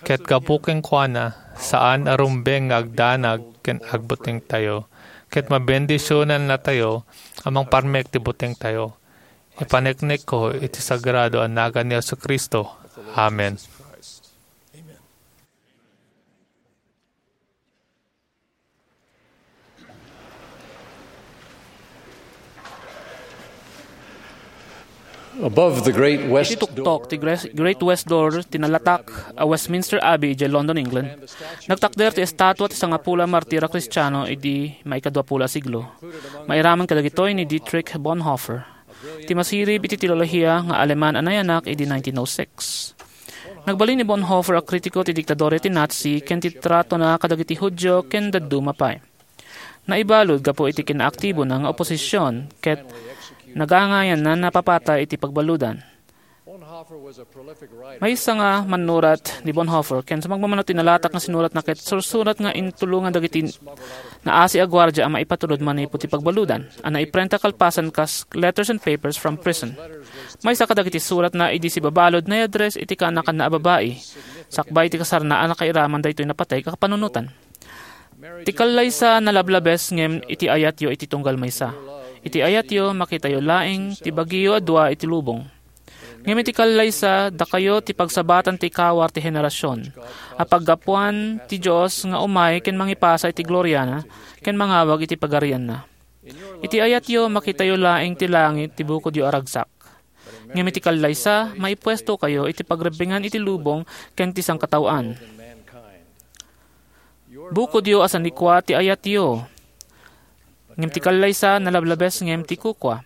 ket gapu kenkuana, saan a rumbeng nga agdanag ken agbutengtayo, ket mabendisionannatayo a mangparmek ti butengtayo. Ipaneknekko iti sagrado a nagan ni Jesu-Cristo. Amen. Above the great west Iti tuktok ti Gre-, Great West Door ti nalatak a Westminster Abbey idiay London, England, nagtakder ti estatua ti sangapulo a martir a Kristiano idi maikaduapulo a siglo. Mairaman kadagitoy ni Dietrich Bonhoeffer, ti masirib iti teolohiya nga Aleman a nayanak idi nineteen oh six. Nagbalin ni Bonhoeffer a kritiko ti diktadura ti Nazi ken ti tratona kadagiti Judio ken dadduma pay. Naibalud gapu iti kinaaktibona nga oposision ket nagangayanna a napapatay iti pagbaludan. Maysa nga mannurat ni Bonhoeffer ken sumagmamano ti nalatak nga sinuratna ket sursurat nga intulongan dagiti naasi a guardia a maipatulod manipud ti pagbaludan a naiprenta kalpasan kas letters and papers from prison. Maysa kadagiti suratna idi sibabalud naiaddress iti kaanakanna a babai. Sakbay ti kasarna a nakairaman daytoy napateg a kapanunotan. Ti kallaysa nalablabes ngem iti ayatyo iti tunggal maysa. Iti ayatyo, makitayo laeng ti bagiyo a dua iti lubong. Ngem iti kallaysa, dakayo ti pagsabatan ti kawar ti henerasion, a paggapuan ti Dios nga umay ken mangipasa iti gloriana ken mangawag iti pagarianna. Iti ayatyo, makitayo laeng ti langit ti bukodyo a ragsak. Ngem iti kallaysa, maipuestokayo iti pagrebbengan iti lubong ken ti sangkataoan. Bukodyo a sanikua ti ayatyo. Ngem ti kallaysa, nalablabes ngem ti kukua.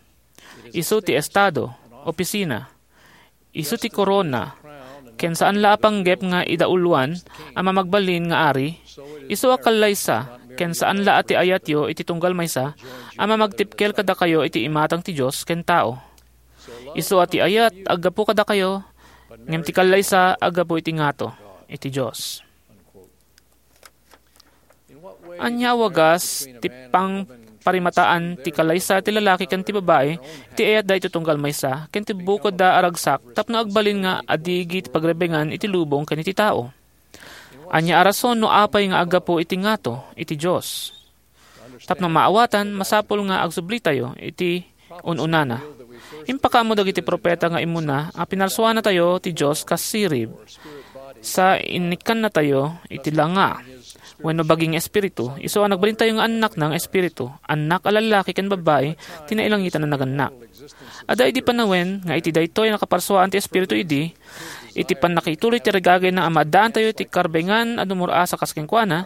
Isu ti estado, opisina. Isu ti korona, ken saan la a panggep nga idauloan a mamagbalin nga ari. Isu a kallaysa, ken saan la a ti ayatyo iti tunggal maysa a mamagtipkel kadakayo iti imatang ti Dios ken tao. Isu a ti ayat aggapu kadakayo, ngem ti kallaysa aggapu iti ngato iti Dios. Ania a wagas ti pangparimataan ti kallaysa ti lalaki ken ti babai iti ayatda iti tunggal maysa ken ti bukodda a ragsak tapno agbalin nga adigi ti pagrebbengan iti lubong ken iti tao? Ania a rason no apay nga aggapu iti ngato iti Dios? Tapno maawatan, masapul nga agsublitayo iti un-unana. Impakaammo dagiti profeta nga immuna a pinarsuanatayo ti Dios kas sirib, sa innikkannatayo iti langa wenno bagi nga espiritu, isu a nagbalintayo nga annakna nga espiritu, annak a lallaki ken babbai ti nailangitan a nagannak. Adda idi panawen nga iti daytoy a nakaparsuaan ti Espiritu idi, iti pannakituloy ti ragagayna a maaddaantayo iti karbengan a dumur-asa kas kenkuana,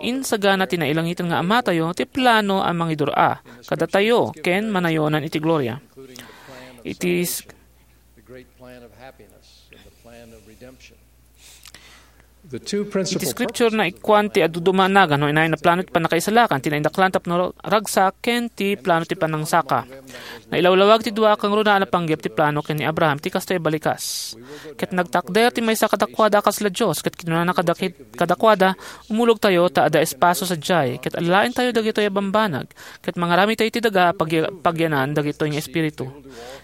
insagana ti nailangitan nga Amatayo ti plano a mangidur-a kadatayo ken manayonan iti gloria. Iti s-, Iti scripture, naikkuan ti adu-, dumanagan no inayon a plano ti pannakaisalakan, ti naindaklan tapno ragsak, ken ti plano ti panangsaka. Nailawlawag ti dua a kangrunaan a panggep ti plano ken ni Abraham ti kastoy a balikas. Ket nagtakder ti maysa kadakuada a kasla Dios, ket kinunana kadakit-, kadakuada, "Umulogtayo ta adda espasio sadiay, ket alaentayo dagitoy a bambanag, ket mangaramidtayo iti daga a pagya-, pagyanan dagitoy nga espiritu."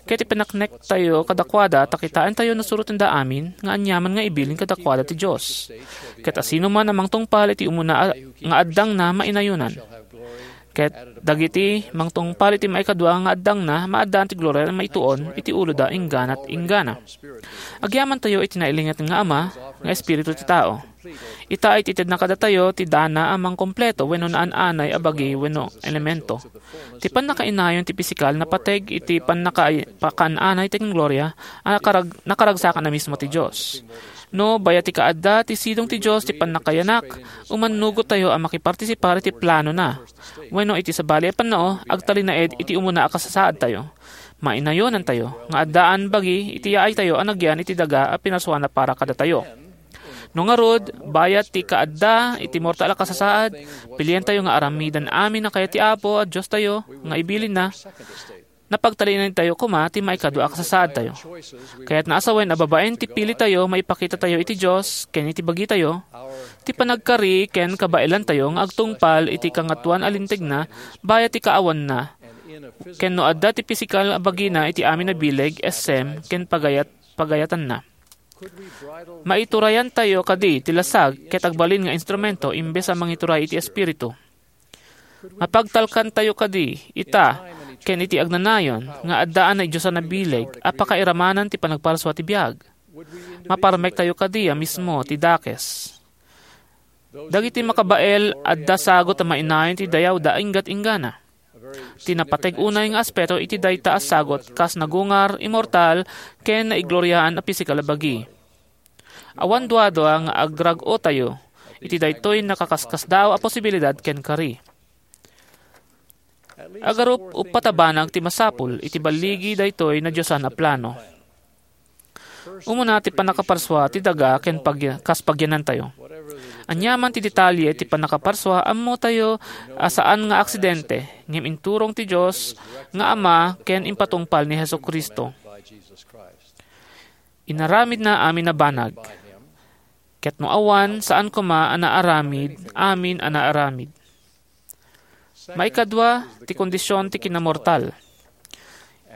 Ket ipaneknektayo kadakuada ta kitaentayo no surotenda amin nga aniaman nga ibilin kadakuada ti Dios. Ket asinoman a mangtungpal iti umuna a, nga addangna, mainayonan. Ket dagiti mangtungpal iti maikadua nga addangna, maaddaan ti gloria a maituon iti uloda inggana't inggana. Agyamantayo iti nailinget nga Ama nga Espiritu ti tao. Ita, iti itedna kadatayo ti dana a mangkompleto wenno naan-anay a bagi wenno elemento. Ti pannakainayon ti pisikal napateg iti pannaka-, pakaan-anay ti gloria a nakarag-, nakaragsakan a mismo ti Dios. No bayat ti kaadda ti sidong ti Dios ti pannakayanak, umannugottayo a makipartisipar iti planona. Wenno iti sabali a pannao, agtalinaed iti umuna a kasasaadtayo. Mainayonantayo nga addaan bagi iti yaaytayo a nagyan iti daga a pinarsuana para kadatayo. No ngarud, bayat ti kaadda iti mortal a kasasaad, pilientayo nga aramidan amin a kayat ti Apo a Diostayo nga ibilinna, napagtalinaedtayo koma ti maikadua a kasasaadtayo. Kayatna a sawen a babaen ti pilitayo, maipakitatayo iti Dios ken iti bagitayo, ti panagkari ken kabaelantayo nga agtungpal iti Kangatoan a Lintegna bayat ti kaawanna, ken no adda ti pisikal a bagina iti amin a bileg, essem, ken pagayat-, pagayatanna. Maiturayantayo kadi ti lasag ket agbalin nga instrumento imbes a mangituray iti Espiritu? Mapagtalkantayo kadi ita ken iti agnanayon nga addaan a idiosan a bileg a pakairamanan ti panagparsua ti biag? Maparmektayo kadi a mismo ti dakes? Dagiti makabael, adda sagut a mainayon ti dayawda a inggat-inggana. Ti napateg unay nga aspeto iti dayta a sagut kas nagungar, immortal, ken naigloriaan a pisikal a bagi. Awan duadua nga agrag-otayo iti daytoy nakaskasdaaw a posibilidad ken kari. Agarup uppat a banag ti masapul iti balligi daytoy nadiosan a plano. Umuna ti pannakaparsua ti daga ken pag-, kas pagyanantayo. Aniaman ti detalye ti pannakaparsua, ammotayo a saan nga aksidente, ngem inturong ti Dios nga Ama ken impatungpal ni Jesu-Cristo. Inaramidna amin a banag. Ket no awan, saan koma a naaramid amin a naaramid. Maikadua, ti kondisyon ti kinamortal.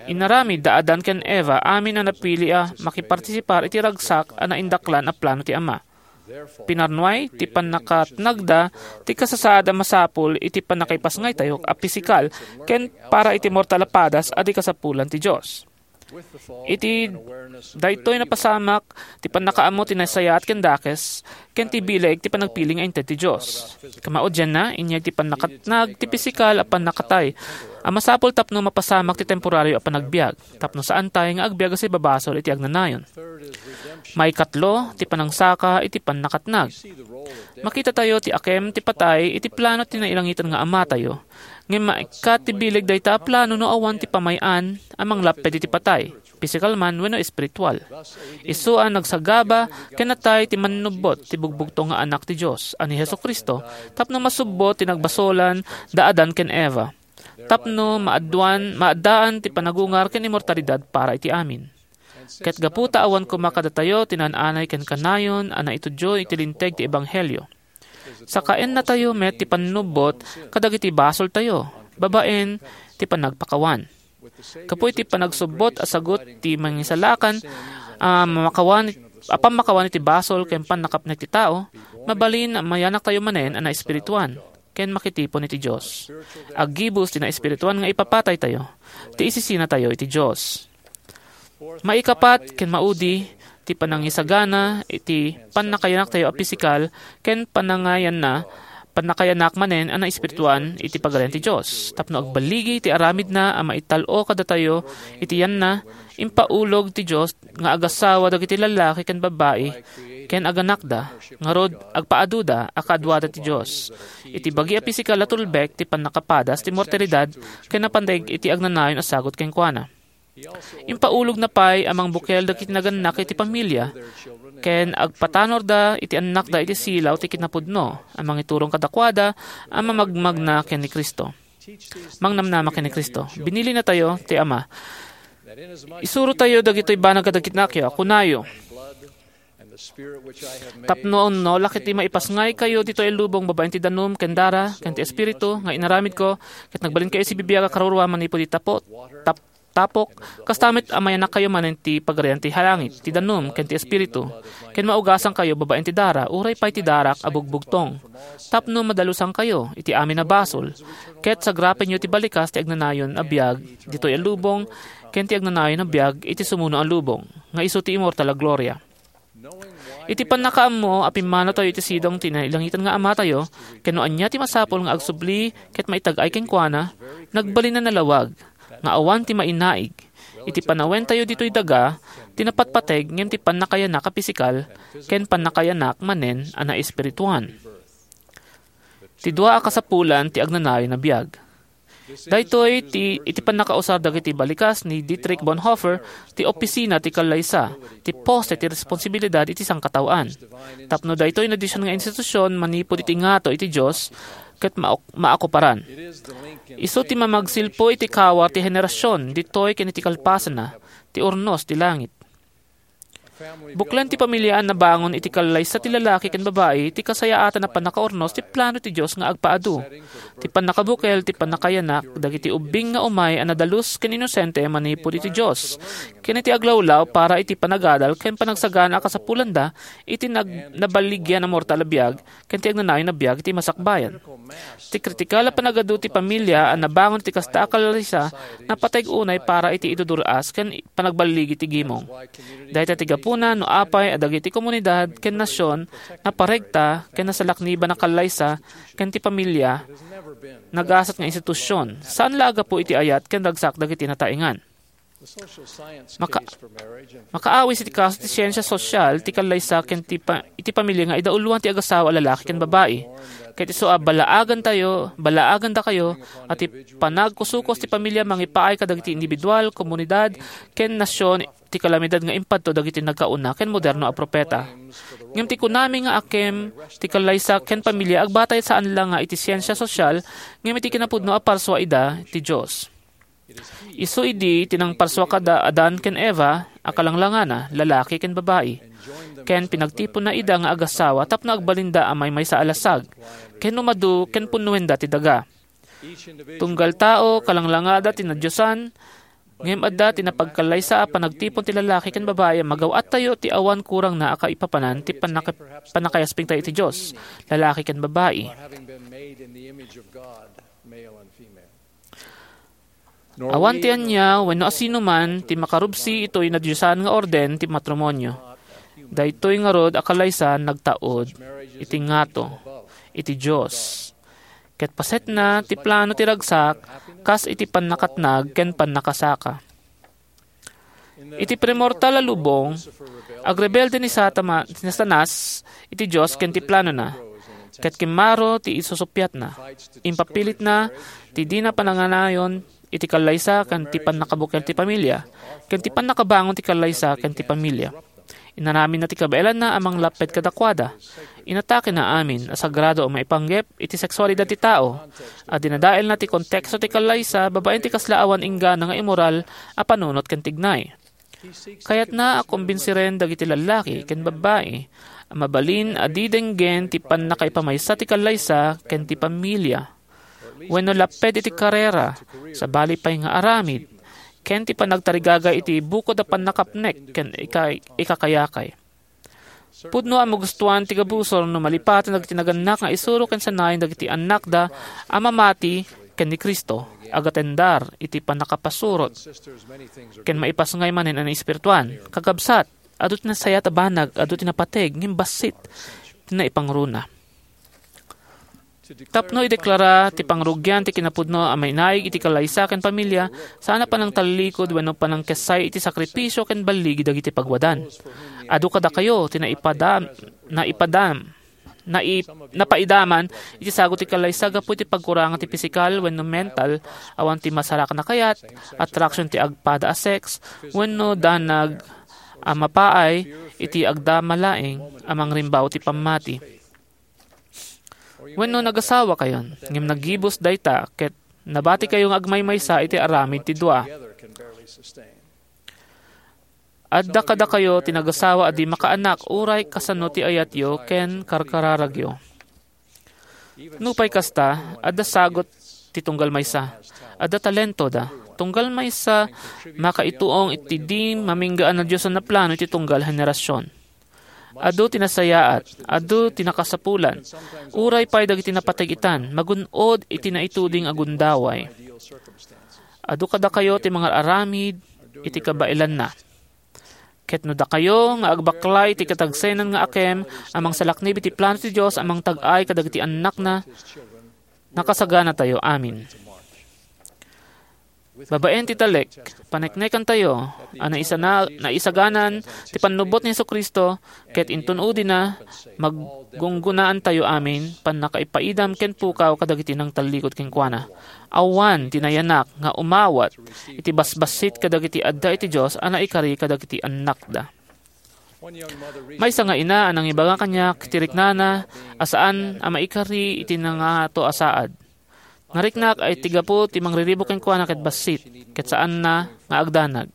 Inaramid da Adan ken Eva amin a napili a makipartisipar iti ragsak a naindaklan a plano ti Ama. Pinarnuay ti pannakatnagda ti kasasaad a masapul iti pannakaipasngaytayo a pisikal ken para iti mortal a padas a di kasapulan ti Dios. Iti daytoy napasamak ti pannakaammo ti nasayaat ken dakes, ken ti bileg ti panagpili nga inted ti Dios. Kamaudianna, inyay ti pannakatnag ti pisikal a pannakatay a masapul tapno mapasamak ti temporario a panagbiag, tapno saantay nga agbiag a sibabasol iti agnanayon. Maikatlo, ti panangsaka iti pannakatnag. Makitatayo ti akem ti patay iti plano ti nailangitan nga Amatayo. Ngem maikkat ti bileg dayta a plano no awan ti pamay-an a manglapped iti patay, pisikal man wenno espiritual. Isu a nagsagaba ken natay ti Mannubbot, ti bugbugtong nga Anak ti Dios a ni Jesu-Cristo, tapno masubbot ti nagbasolan da Adan ken Eva, tapno maadduan, maaddaan ti panagungar ken immortalidad para iti amin. Ket gapu ta awan koma kadatayo ti naan-anay ken kanayon a naitudyo iti linteg ti ebanghelio, sakaennatayo met ti pannubbot kadagiti basoltayo babaen ti panagpakawan. Gapu iti panagsubbot a sagut ti mangisalakan a makawan, a pammakawan iti basol ken pannakapnek ti tao, mabalin a mayanaktayo manen a naespirituan ken makitipon iti Dios. Aggibus ti naespirituan nga ipapataytayo, ti isisinatayo iti Dios. Maikapat ken maudi ti panangisagana iti pannakayanaktayo a pisikal ken panangayanna, pannakayanak manen a naespirituan iti Pagarian ti Dios, tapno agballigi ti aramidna a maital-o kadatayo iti yanna, impaulog ti Dios nga agasawa dagiti lallaki ken babbai ken aganakda, ngarud, agpaaduda a kaduada ti Dios. Iti bagi a pisikal a tulbek ti pannakapadas ti mortalidad ken napanteg iti agnanayon a sagut kenkuana. Impaulogna pay a mangbukel dagiti nagannak iti pamilia ken agpatanorda iti annakda iti silaw ti kinapudno a mangiturong kadakuada a mamagmagna ken ni Cristo. Mangnamnama ken ni Cristo. Binilinatayo ti Ama. Isurotayo dagitoy banag kadagiti annakyo, kunayo. Tapno no, lakit ti maipasngaykayo ditoy a lubong babaen ti danum ken dara ken ti Espiritu nga inaramidko, ket nagbalinkayo sibibiag a karurua manipud iti tapo-, tap-, tapok, kasta met a mayanakkayo manen ti Pagarian ti langit, ti danum, ken ti Espiritu, ken maugasangkayo babaen ti dara, uray pay ti darak a bugbugtong, tapno madalusankayo iti amin a basol, ket sagrapenyo ti balikas ti agnanayon a biag ditoy a lubong, ken ti agnanayon a biag iti sumuno a lubong, nga isu ti immortal a gloria. Iti pannakaammo a pimmanotayo iti sidong ti nailangitan nga Amatayo, ken no ania ti masapul nga agsubli ket maitag-ay kenkuana, nagbalin a nalawag nga awan ti mainaig. Iti panawentayo ditoy daga, ti napatpateg ngem ti pannakayanak a pisikal ken pannakayanak manen a naespirituan. Ti dua a kasapulan ti agnanayon a biag. Daytoy ti iti pannakausar dagiti balikas ni Dietrich Bonhoeffer ti opisina ti kallaysa, ti poste ti responsibilidad iti sangkataoan. Tapno daytoy nadisyon nga institusion manipud iti ngato iti Dios ket maok-, maakuparan. Isu ti mamagsilpo iti kawar ti henerasion ditoy ken iti kalpasanna, ti urnos ti langit. Buklen ti pamiliaan a nabangon iti kallaysa ti lalaki ken babai ti kasayaatan a pannakaurnos ti plano ti Dios nga agpaadu. Ti pannakabukel ti pannakayanak dagiti ubbing nga umay a nadalus ken inosente manipud iti Dios, ken iti aglawlaw para iti panagadal ken panagsagana a kasapulanda iti nag-, naballigian a mortal a biag ken ti agnanayon a biag iti masakbayan. Ti kritikal a panagadu ti pamilya a nabangon iti kasta a kallaysa napateg unay para iti idudur-as ken panagballigi ti gimong. Dayta ti gapuna no apay a dagiti komunidad ken nasion naparegta ken nasalakniban a kallaysa ken ti pamilya nagasat nga institusion, saan la a gapu iti ayat ken ragsak dagiti nataengan. Maka-, makaawis iti kaso ti siensia sosial ti kallaysa ken ti pa-, iti pamilya nga idauloan ti agasawa a lalaki ken babai. Ket isu a balaagantayo, balaagandakayo a ti panagkusukus ti pamilya mangipaay kadagiti individual, komunidad, ken nasion ti kalamidad nga impadto dagiti nagkauna ken moderno a propeta. Ngem ti kunami nga akem ti kallaysa ken pamilya agbatay saan la nga iti siensia sosial, ngem iti kinapudno a parsua ida ti Dios. Isu idi ti nangparsua kada Adan ken Eva a kalanglangana, lalaki ken babai, ken pinagtiponna ida nga agasawa tapno agbalinda a maymaysa a lasag, ken umadu ken punnuenda ti daga. Tunggal tao, kalanglangada ti nadiosan, ngem adda ti napagkallaysa a panagtipon ti lalaki ken babai a magaw-attayo ti awan kurangna a kaipapanan ti pannaka-, pannakayaspingtayo iti Dios, lalaki ken babai. Awan ti ania wenno asinoman ti makarubsi itoy nadiosan nga orden ti matrimonio. Daytoy ngarud a kalaysa nagtaud iti ngato iti Dios, ket pasetna ti plano ti ragsak kas iti pannakatnag ken pannakasaka. Iti primortal a lubong, agrebelde ni Satama-, ni Satanas iti Dios ken ti planona, ket kimmaro ti isusuppiatna. Impapilitna ti dina pananganayon iti kallaysa ken ti pannakabukel ti pamilya, ken ti pannakabangon ti kallaysa ken ti pamilya. Inaramidna ti kabaelanna a manglapped kadakuada. Inatakena amin a sagrado a maipanggep iti seksualidad ti tao, a dinadaelna ti konteksto ti kallaysa babaen ti kasla awan inggana nga immoral a panunot ken tignay. Kayatna a kombinsiren dagiti lallaki ken babbai a mabalin a di denggen ti pannakaipamaysa ti kallaysa ken ti pamilya, wenno lapped iti karera, sabali pay nga aramid, ken ti panagtarigagay iti bukod a pannakapnek ken ika-, ikakayakay. Pudno a magustuan ti gabusor no malipaten dagiti nagannak nga isuro ken sanayen dagiti annakda a mamati ken ni Cristo, agatendar iti pannakapasurot, ken maipasngay manen a naespirituan. Kakabsat, adu ti nasayaat a banag, adu ti napateg, ngem bassit ti naipangruna. Tapno ideklara ti pangrugian ti kinapudno a mainaig iti kallaysa ken pamilya, saan a panangtallikod wenno panangkessay iti sakripisio ken balligi dagiti pagwadan. Adu kadakayo ti naipadam-, naipadam-, nai-, napaidaman iti sagut ti kallaysa gapu iti pagkurangan ti pisikal wenno mental, awan ti masarakan a kayat, attraction ti agpada a sex, wenno danag a mapaay iti agdama laeng a mangrimbaw ti pammati. Wenno nagasawakayon, ngem naggibus dayta ket nabatikayo nga agmaymaysa iti aramid ti dua. Adda kadakayo ti nagasawa a di makaanak uray kasano ti ayatyo ken karkararagyo. Nupay kasta, adda sagut ti tunggal maysa. Adda talentoda. Tunggal maysa, makaituong iti di maminggaan a Dios a naplano iti tunggal a henerasyon. Adu ti nasayaat, adu ti nakasapulan. Uray pay dagiti napateg-itan, magun-od iti naituding a gundaway. Adu kadakayo ti mangararamid iti kabaelanna. Ket no dakayo nga agbaklay iti katagsenan nga akem a mangsalaknib iti plano ti Dios a mangtag-ay kadagiti annakna, nakasaganatayo amin. Babaen ti talek, paneknekantayo a naisana-, naisaganan ti pannubbot ni Jesu-Cristo, ket inton udina, maggunggunaantayo amin pannakaipaidam ken pukaw kadagiti nangtallikod kenkuana. Awan ti nayanak nga umawat iti basbassit kadagiti adda iti Dios a naikari kadagiti annakda. Maysa nga ina a nangibaga kaniak ti riknana a saan a maikari iti nangato a saad. Nariknak a iti gapu ti mangriribuk kenkuana ket bassit, ket saanna nga agdanag.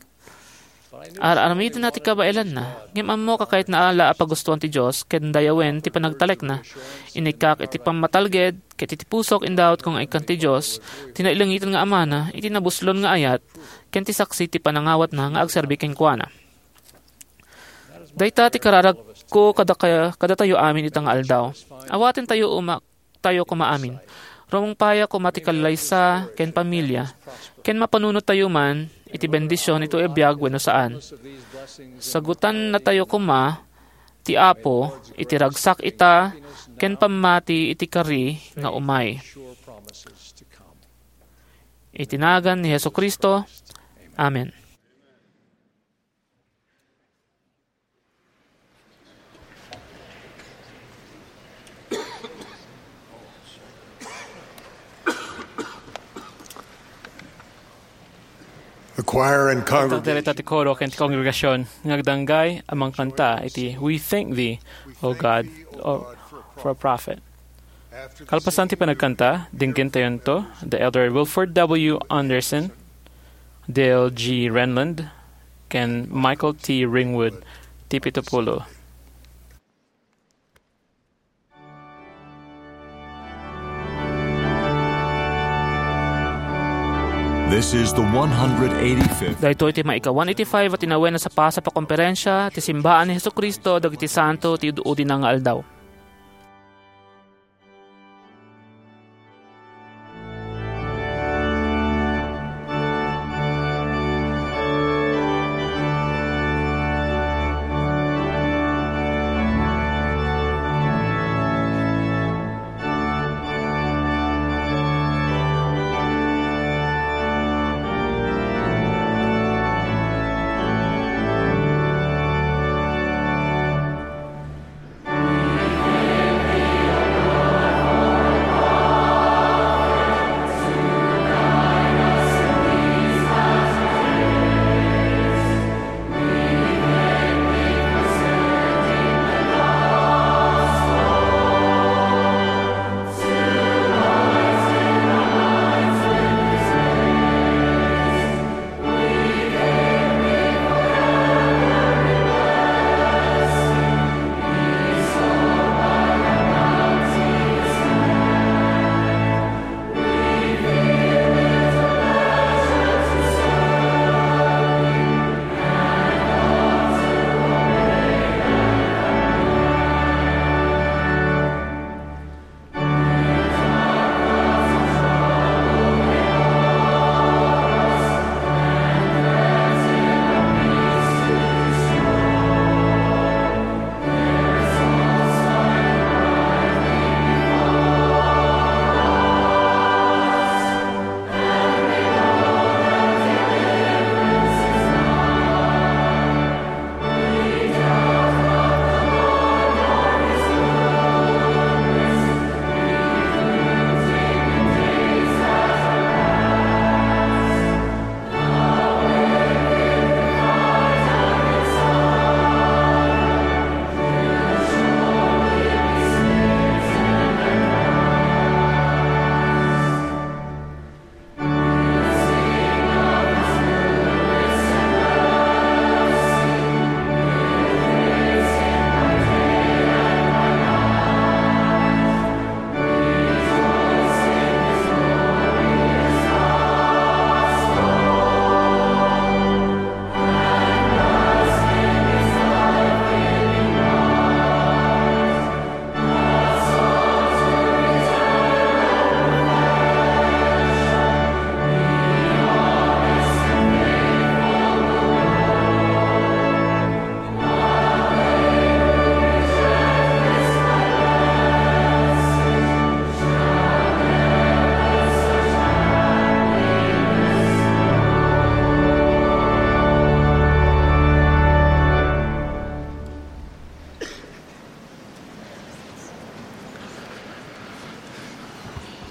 Ar-aramidna ti kabaelanna, ngem ammok a kayatna la a pagustuan ti Dios ken dayawen ti panagtalekna. Inikkak iti pammatalged ket iti pusok indawatko nga ikkan ti Dios, ti nailangitan nga Amana, iti nabuslon nga ayat, ken ti saksi ti panangawatna nga agserbi kenkuana. Dayta ti kararagko kadaka-, kadatayo amin ita nga aldaw. Awatentayo uma-, tayo koma amin. Rumungpaya koma ti kallaysa ken pamilia, ken mapanunottayo man iti bendision iti biag wenno saan. Sagutannatayo koma ti Apo iti ragsak ita ken pammati iti kari nga umay. Iti nagan ni Jesu-Cristo, amen. The choir and congregation. Direta ti koro ken ti kongregasion nga agdanggay a mangkanta iti "We Thank Thee, O God," o, for a prophet. Kalpasan ti panagkanta, dinggentayonto da Elder Wilford W. Andersen, Dale G. Renlund, ken Michael T. Ringwood, ti pito pulo. This is the one hundred eighty-fifth. Daytoy ti maika one eighty-five a tinawen a sapasap a komperensia ti Simbaan ni Jesu-Cristo dagiti Santo ti Ud-udina nga Aldaw.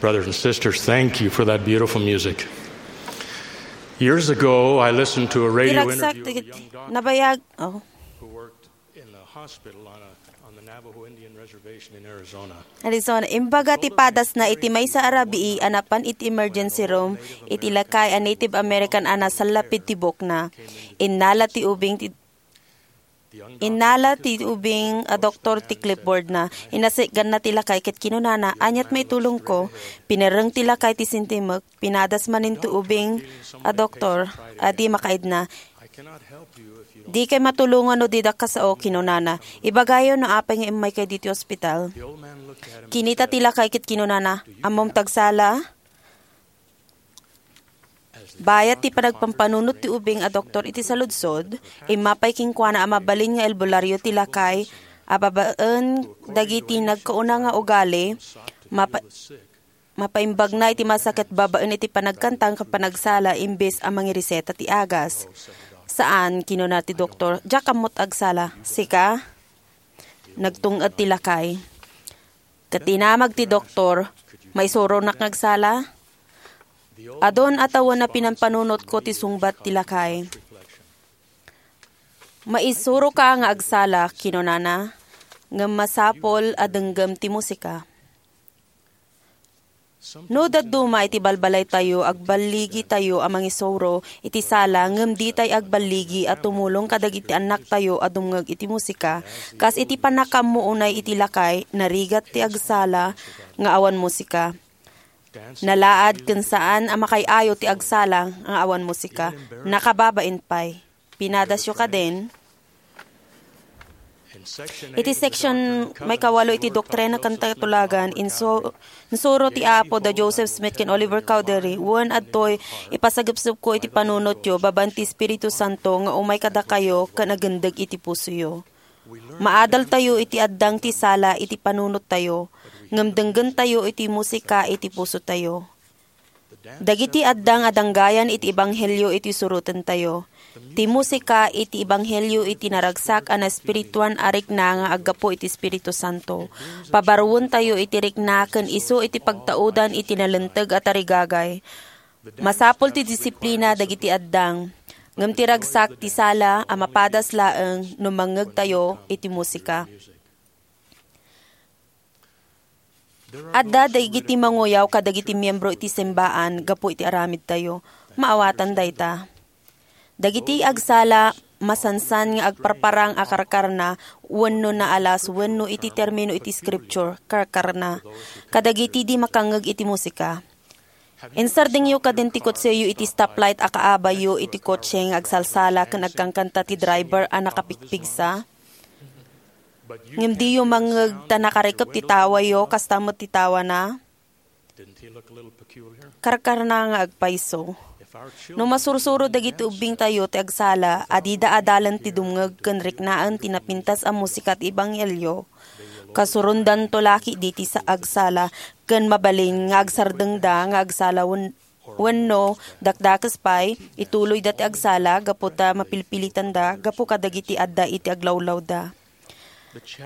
Brothers and sisters, thank you for that beautiful music. Years ago, I listened to a radio interview of a young doctor nabayag, oh. Who worked in the hospital on a, on the Navajo Indian reservation in Arizona. Arizona, imbaga ti padasna iti maysa a rabii a napan iti emergency room iti lakay a Native American a nasallapid ti buokna. Innala ti ubing ti Innala ti ubing a doktor ti clipboardna. Inasik-ganna ti lakay ket kinunana, "Aniat maitulongko?" Pinerreng ti lakay ti sintimek, pinadas manen ti ubing a doktor a di makaidna. "Dikay matulongan no didak a sao," kinunana. "Ibagayo no apay nga immaykay ditoy ospital." Kinita ti lakay ket kinunana, "Ammom ti agsala?" Bayat ti panagpampanunot ti ubing a doktor iti saludsod, immapay kenkuana a mabalin nga albularyo ti lakay a babaen dagiti nagkauna nga ugali, mapa-, mapaimbagna iti masaket babaen iti panagkanta ken panagsala imbes a mangireseta ti agas. "Saan," kinuna ti doktor, "diak ammo ti agsala." "Sika?" Nagtung-ed ti lakay. Ket dinamag ti doktor, "Maisuronak nga agsala?" "Adun a tawen a pinampanunotko," ti sungbat ti lakay. "Maisuroka nga agsala," kinunana, "ngem masapul a denggem ti musika." No dadduma iti balbalaytayo, agballigitayo a mangisuro iti sala, ngem ditay agballigi a tumulong kadagiti annaktayo a dumngeg iti musika, kas iti pannakaammo unay iti lakay, narigat ti agsala nga awan musika. Nalaad ken saan a makaay-ayo ti agsala nga awan musika. Nakababain pay. Pinadasyo kadin? Iti section maikawalo iti Doktrina ken Katulagan, insu-, insuro ti Apo da Joseph Smith ken Oliver Cowdery, "Wen adtoy ipasagepsepko iti panunotyo babaen ti Espiritu Santo nga umay kadakayo ken agindeg iti pusoyo." Maadaltayo iti addang ti sala iti panunottayo, ngem denggentayo iti musika iti pusotayo. Dagiti addang a danggayan iti ebanghelio iti surotentayo. Ti musika iti ebanghelio iti naragsak a naespirituan a rikna nga aggapu iti Espiritu Santo. Pabaruentayo iti rikna ken isu iti pagtaudan iti nalinteg a tarigagay. Masapul ti disiplina dagiti addang, ngem ti ragsak ti sala a mapadas laeng no mangngegtayo iti musika. Adda dagiti manguyaw kadagiti miembro iti simbaan gapu iti aramidtayo. Maawatan dayta. Dagiti agsala, masansan nga agparparang a karkarna wenno naalas wenno iti termino iti Scripture, karkarna kadagiti di makangngeg iti musika. Insardengyo kadin ti kotseyo iti stoplight a kaabayyo iti kotse nga agsalsala ken agkankanta ti driver a nakapigpigsa? Ngem diyo mangngeg ta nakarikep ti tawayo, kasta met ti tawana? Karkarna nga agpayso. No masursuro dagiti ubbingtayo ti agsala a dida adalen ti dumngeg ken riknaen ti napintas a musika ti ebanghelio, kasurondanto la ketdi ti sa-, agsala ken mabalin nga agsardengda nga agsala wen-, wenno, dakdakes pay, ituloyda ti agsala gapu ta mapilpilitanda gapu kadagiti adda iti aglawlawda.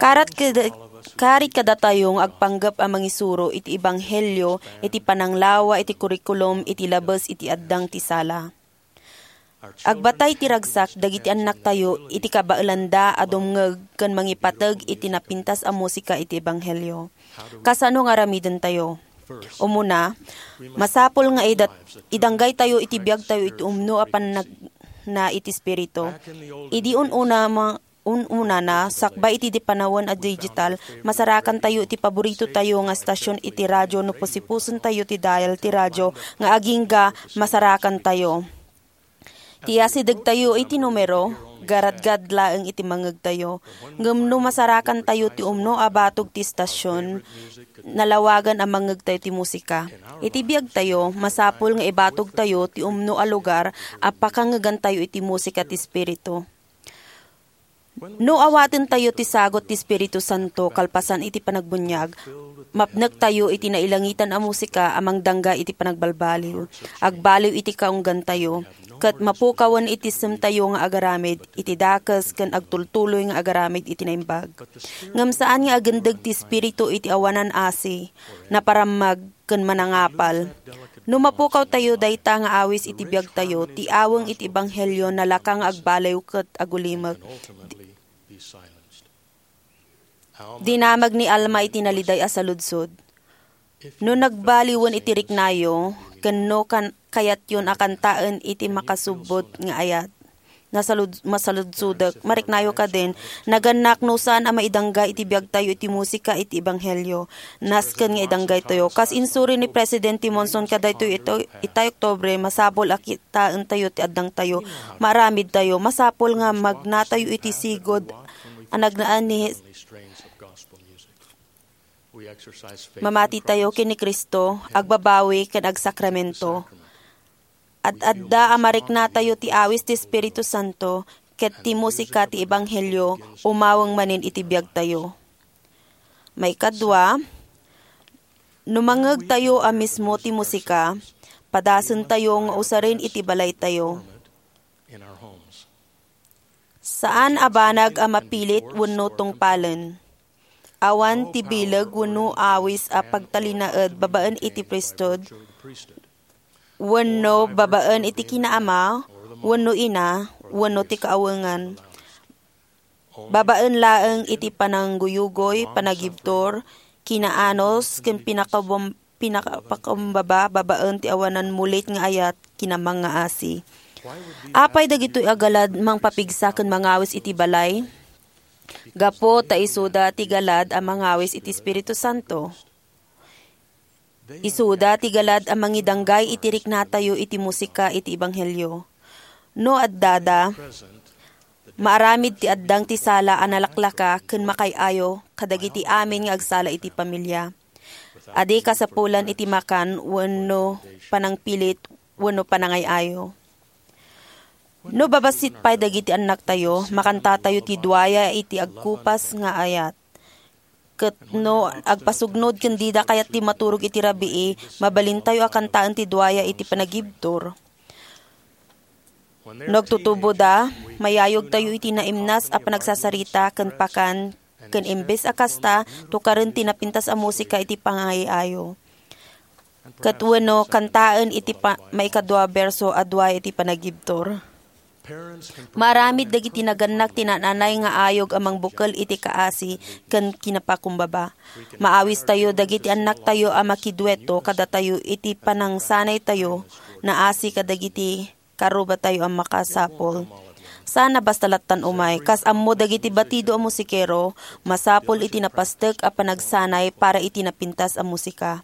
Karat kada-, karit kadatayo nga agpanggep a mangisuro iti ebanghelio iti pananglawa iti kurikulum iti labes iti addang ti sala. Agbatay ti ragsak dagiti annaktayo iti kabaelanda a dumngeg ken mangipateg iti napintas a musika iti ebanghelio. Kasano nga aramidentayo? Umuna, masapul nga idat-, idanggaytayo iti biagtayo iti umno a pannagna iti Espiritu. Idi un-una ma-, un-unana, sakbay iti di panawen a digital, masarakantayo iti paboritotayo nga estasion iti radio no pusipusentayo ti dial ti radio nga agingga masarakantayo. Ti asidegtayo iti numero, garadgad laeng iti mangngegtayo. Ngem no masarakantayo ti umno a batog ti estasion, nalawagan a mangngegtayo ti musika. Iti biagtayo, masapul nga ibatogtayo ti umno a lugar a pakangngegantayo iti musika ti Espiritu. No awatentayo ti sagut ti Espiritu Santo kalpasan iti panagbuniag, mapnektayo iti nailangitan a musika a mangdangga iti panagbalbaliw, agbaliw iti kaunggantayo, ket mapukawen iti semtayo nga agaramid iti dakes ken agtultuloy nga agaramid iti naimbag. Ngem saan nga agindeg ti Espiritu iti awanan asi, naparammag, ken manangapal. No mapukawtayo dayta nga awis iti biagtayo, ti aweng iti ebanghelio nalaka nga agbaliw ket agulimek. Dinamag ni Alma iti naliday a saludsod. No nagbaliwen iti riknayo, ken no kan-, kayatyon a kantaen iti makasubbot nga ayat, nasalud-, masaludsodek, mariknayo kadin, nagannak no saan a maidanggay iti biagtayo iti musika iti ebanghelio. Nasken nga idanggaytayo. Kas insuri ni Presidente Monson kadaytoy ito, itay Oktubre, masapul a kitaentayo ti addangtayo. Maaramidtayo. Masapul nga magnatayo iti sigud a nagnaan ni Mamatitayo ken ni Cristo, agbabawi ken agsakramento. Ad-adda a mariknatayo ti awis ti Espiritu Santo ket ti musika ti ebanghelio umaweng manen iti biagtayo. Maikadua, no mangngegtayo a mismo ti musika, padasentayo nga usaren iti balaytayo. Saan a banag a mapilit wenno tungpalen. Awan ti bileg wenno awis a pagtalinaed babaen iti priesthood, wenno babaen iti kinaama, wenno ina, wenno ti kaawengan. Babaen laeng iti panangguyugoy, panagibtur, kinaanus, ken pinakabom-, pinakapakumbaba babaen ti awanan mulit nga ayat, kinamang nga asi. Apay dagitoy a galad mangpapigsa ken mangawis iti balay? Gapu ta isuda ti galad a mangawis iti Espiritu Santo. Isuda ti galad a mangidanggay iti riknatayo iti musika iti ebanghelio. No addada, maaramid ti addang ti sala a nalaklaka ken makaay-ayo kadagiti amin nga agsala iti pamilia. Adi kasapulan iti makan wenno panangpilit wenno panangay-ayo. No babassit pay dagiti annaktayo, makantatayo ti duaya iti agkupas nga ayat. Ket no agpasugnod ken dida kayat ti maturog iti rabii, mabalintayo a kantaen ti duaya iti panagibtur. No agtutuboda, mayayogtayo iti naimnas a panagsasarita ken pakan, ken imbes a kasta, tukaren ti napintas a musika iti pangay-ayo. Ket wenno, kantaen iti pa-, maikadua berso a dua iti panagibtur. Maaramid dagiti nagannak ti naan-anay nga ayog a mangbukel iti kaasi ken kinapakumbaba. Maawistayo dagiti annaktayo a makidueto kadatayo iti panangsanaytayo naasi kadagiti karubatayo a makasapul. Saan a basta lattan umay. Kas ammo dagiti batido a musikero, masapul iti napastek a panagsanay para iti napintas a musika.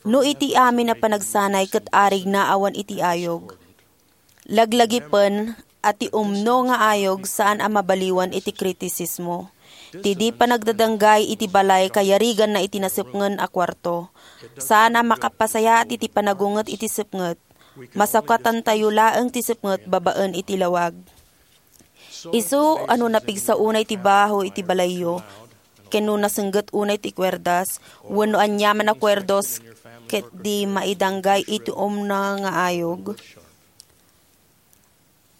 No iti amin a panagsanay ket arigna awan iti ayog, laglagipen a ti umno nga ayog saan a mabaliwan iti kritisismo. Ti di panagdadanggay iti balay kayariganna iti nasepngen a kuarto. Saan a makapasayaat iti panagunget iti sepnget. Masakatantayo laeng ti sepnget babaen iti lawag. Isu a no napigsa unay ti baho iti balayyo, ken no nasengget unay ti kuerdas, wenno aniaman a kuerdos, ket di maidanggay iti umno nga ayog.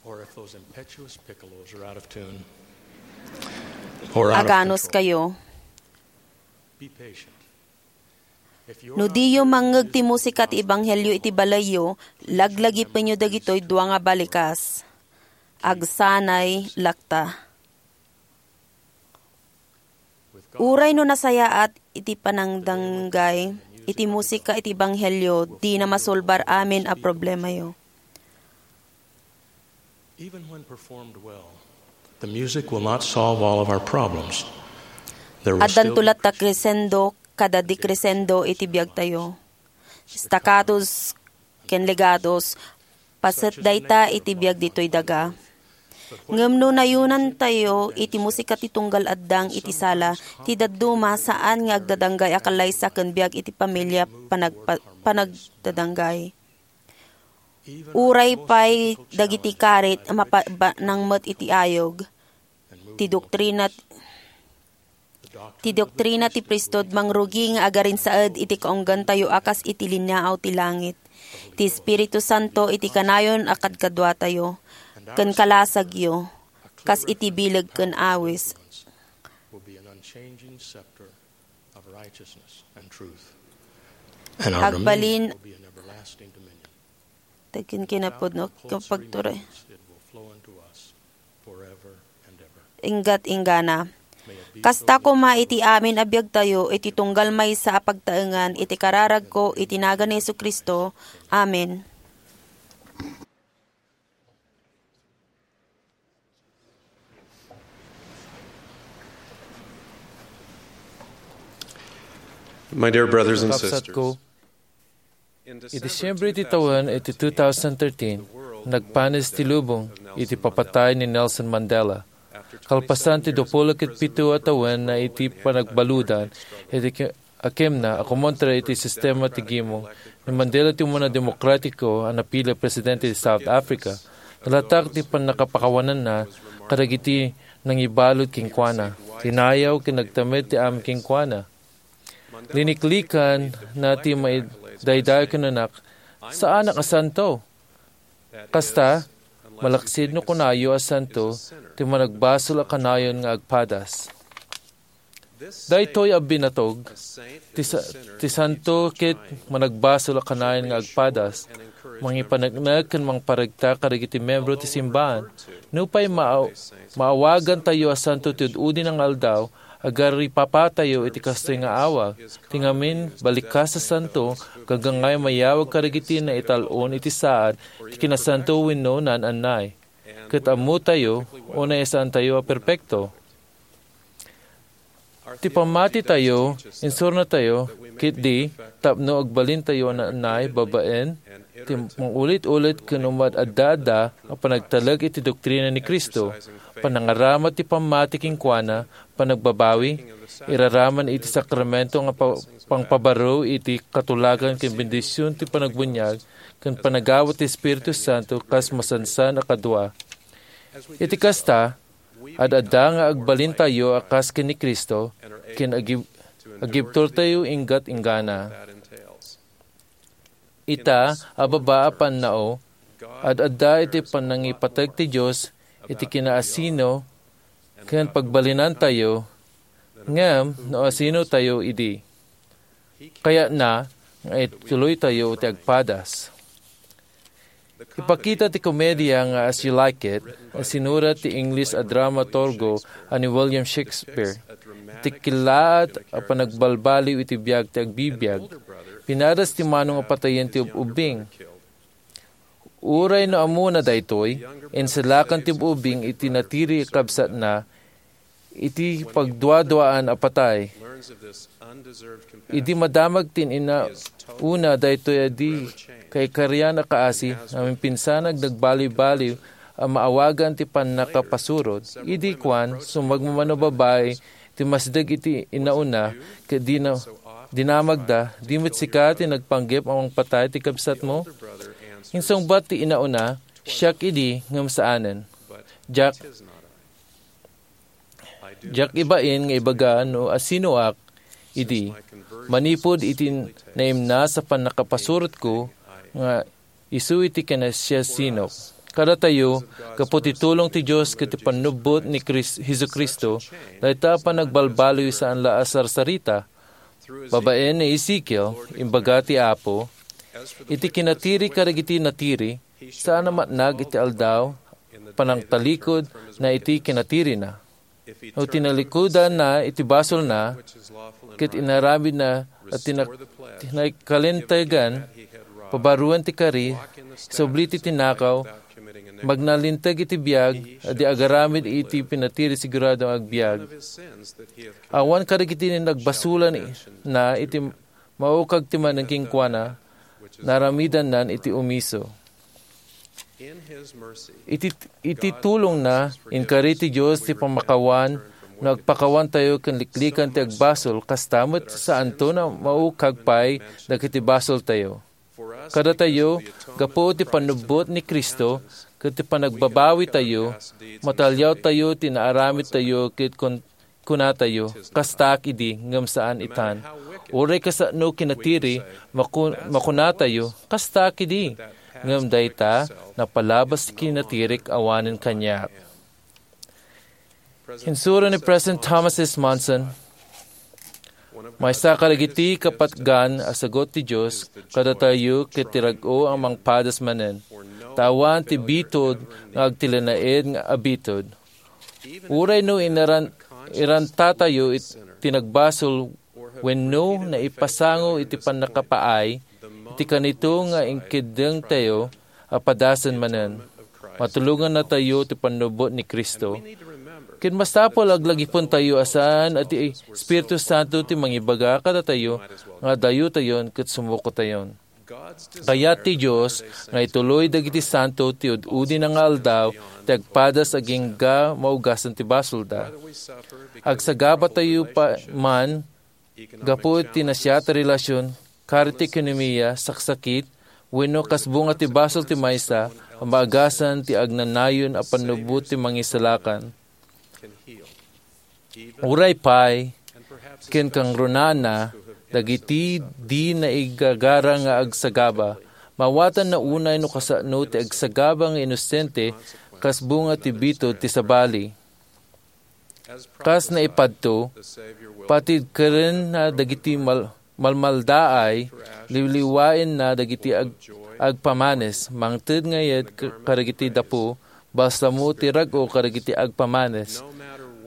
Or if those impetuous piccolos are out of tune, or out of Aganus control, kayo. Be patient. No diyo mangngeg ti musika ti ebanghelio iti balayyo, laglagipenyo dagitoy dua nga balikas. Agsanay lakta. Uray no nasayaat iti panangdanggay iti musika iti ebanghelio, dina masolbar amin a problemayo. Even when performed well, the music will not solve all of our problems. There will still Addanto be latta crescendo kada decrescendo iti biagtayo. Staccatos ken legatos, paset dayta iti biag ditoy daga. Ngem no nayunantayo iti musika ti tunggal addang iti sala, ti dadduma saan nga agdadanggay a kallaysa ken biag iti pamilia panagpa-, panagdadanggay. Uray pay dagiti karit a mapabanang met iti ayog, ti doktrina, ti doktrina ti priesthood mangrugi nga agarinsaed iti kaunggantayo a kas iti linaaw ti langit. Ti Espiritu Santo iti kanayon a kadkaduatayo, ken kalasagyo, kas iti bileg ken awis. Will be an unchanging scepter of righteousness and truth. And our dominion Agbalin will be an everlasting dominion. Dagiti kinapudno, Not close kapagturay. Readings, it will flow unto us forever and ever. Inggat-inggana. Kasta koma iti amin a biagtayo iti tunggal maysa a pagtaengan iti kararagko iti nagan ni Jesu-Cristo. Amen. My dear brothers and sisters, Kakabsatko, iti Disyembre iti tawen iti two thousand thirteen, nagpanis ti lubong iti papatay ni Nelson Mandela. Kalpasan ti dua puluh ket pito a tawen na iti panagbaludan iti ki-, a kemna a kumontra iti sistema ti gimong ni Mandela ti umuna demokratiko a napili a presidente ti South Africa. Nalatak ti pannakapakawananna kadagiti nangibalud kenkuana. Tinayaw ken nagtamed ti amin kenkuana. Liniklikan na ti maidaydayo ken nanak, "Saanak a santo." Kasta, malaksid no kunayo a santo ti managbasol a kanayon nga agpadas. Daytoy a binatog ti sa-, ti santo ket managbasol a kanayon nga agpadas, mangipaneknek ken mangparegta kadagiti membro ti simbahan. Nupay maa-, maawagantayo a santo ti ud-udi nga aldaw, agaripapatayo iti kastoy nga awag. Ti ngamin, balikkas a santo, gagangay mayawag kadagiti naital-on iti saad ti kinasanto wenno naan-annay. Ket ammotayo, unay a saantayo a perpekto. Ti pammatitayo, insuratayo, ket di, tapno agbalintayo a naan-annay babaen ti mangulit-ulit ken umaad-adda a panagtalek iti doktrina ni Cristo, panangarama ti pammati kenkuana, panagbabawi, iraraman iti sakramento nga pa-, pangpabaro iti katulagan ken bendision ti panagbuniag ken panagawat ti Espiritu Santo kas masansan a kadua. Iti kasta, ad-adda nga agbalintayo a kas ken ni Cristo ken agib-, agibturtayo inggat-inggana. Ita a baba a pannao, ad-adda iti panangipateg ti Dios iti kinaasino ken pagbalinantayo, ngem no asinotayo idi. Kayatna nga ituloytayo ti agpadas. Ipakita ti komedia nga As You Like It, a sinurat ti Ingles a dramaturgo a ni William Shakespeare, ti killaat a panagbalbaliw iti biag ti agbibiag. Pinadas ti manong a patayen ti ub-ubbing. Uray no ammona daytoy, insalakan ti ub-ubbing iti natiri a kabsatna iti pagduaduaan a patay. Idi madamag ti inauna daytoy a di kaikarian a kaasi, naminpinsan a nagbaliwbaliw a maawagan ti pannakapasurot, idi kuan, sumagmamano babai ti masdeg iti inauna, ket dina-, dinamagda, "Di met sika ti nagpanggep a mangpatay ti kabsatmo?" Insungbat ti inauna, "Siak idi, ngem saanen. Diak, diak ibain nga ibaga no asinoak idi, manipud iti naimnas a pannakapasurotko nga isu iti kinasiasinok." Kadatayo, gapu ti tulong ti Dios ket ti pannubbot ni Kris-, Jesu-Cristo, dayta a panagbalbaliw saan la a sarsarita. Babaen ni Ezekiel, imbaga ti Apo, "Iti kinatiri kadagiti natiri, saan a matnag iti aldaw, panangtalikod na iti kinatirina." No tinalikudanna iti basolna, ket inaramidna a tinak-, tinakalintegan, pabaruen ti kari, subli ti tinakaw, magnalinteg iti biag, a di agaramid iti pinatiri sigurado nga agbiag. Awan kadagiti nagbasolan na iti maukag ti manen kenkuana, naaramidannan iti umiso. Iti, iti tulongna, inkari ti Dios ti pammakawan no agpakawantayo ken liklikan ti agbasol, kasta met saanto a maukag pay dagiti basoltayo. Kadatayo, gapu ti pannubbot ni Cristo ken ti panagbabawitayo, mataliawtayo ti naaramidtayo ket kun-, kunatayo, "Kastaak idi, ngem saan itan." Uray kasano kinatiri, maku-, makunatayo, "Kastaak idi," ngem dayta napalabas ti kinatirik awanen kaniak. Insuro ni President Thomas S. Monson, Maysa kadagiti kapatgan a sagut ti Dios kadatayo ket ti rag-o a mangpadas manen, ta awan ti bitud nga agtilenaed nga abitud. Uray no inaran-, irantatayo it-, ti nagbasol wenno naipasango iti pannakapaay, iti kanito nga inkeddengtayo a padasen manen. Matulongannatayo ti pannubbot ni Cristo. Ket masapul a aglagipentayo a saan a ti Espiritu Santo ti mangibaga kadatayo nga adayotayon ket sumukotayon. Kayat ti Dios nga ituloy dagiti santo ti ud-udina nga aldaw ti agpadas agingga maugasan ti basolda. Agsagabatayo pa man gapu iti nasiat a relasyon, karit ti ekonomia, saksakit, wenno kas bunga ti basol ti maysa a maagasan ti agnanayon a pannubbot ti mangisalakan. Uray pay, ken kangrunana, dagiti di naigagara nga agsagaba, maawatanna unay no kasano ti agsagaba nga inosente kas bunga ti bitud ti sabali. Kas naipadto, patid kerenna dagiti mal-, malmaldaay, liwliwaenna dagiti ag-, agpamanes, mangted nga yet k-, kadagiti dapu, balsamo ti rag-o kadagiti agpamanes.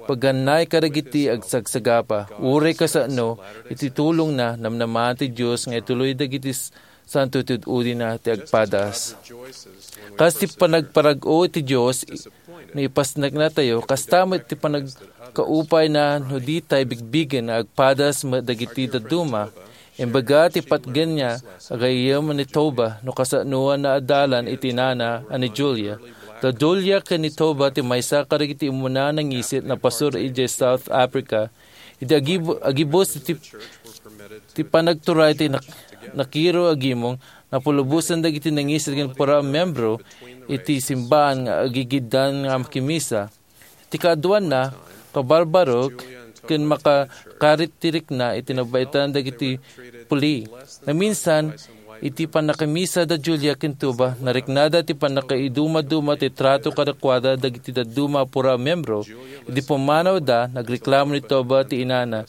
Pagannay kadagiti agsagsagaba, uray kasano, iti tulongna, namnamaen ti Dios nga ituloy dagiti s-, santo ti ud-udina ti agpadas. Kas ti panagparag-o ti Dios, no ipasneknatayo, kasta met ti panagkaupayna no ditay bigbigen nga agpadas met dagiti dadduma. Imbaga ti patgenna, agayyem ni Toba, no kasanoan na a dalan iti inana a ni Julia. Da Julia ken ni Toba ti maysa kadagiti immuna a nangisit a pastor idiay South Africa. Iti agibu-, agibus iti, ti panagturay ti nak-, nakiro a gimong, napulubosan dagiti nangisit ken pura a membro iti simbaan nga agigiddan nga makimisa. Ti kaaduanna, kabarbarok ken makakarit ti rikna iti nabaetan dagiti puli. Naminsan, iti pannakimisa da Julia ken Toba, nariknada ti pannakaidumaduma ti trato kadakuada dagiti dadduma a pura a membro. Idi pummanawda, nagreklamo ni Toba ti inana.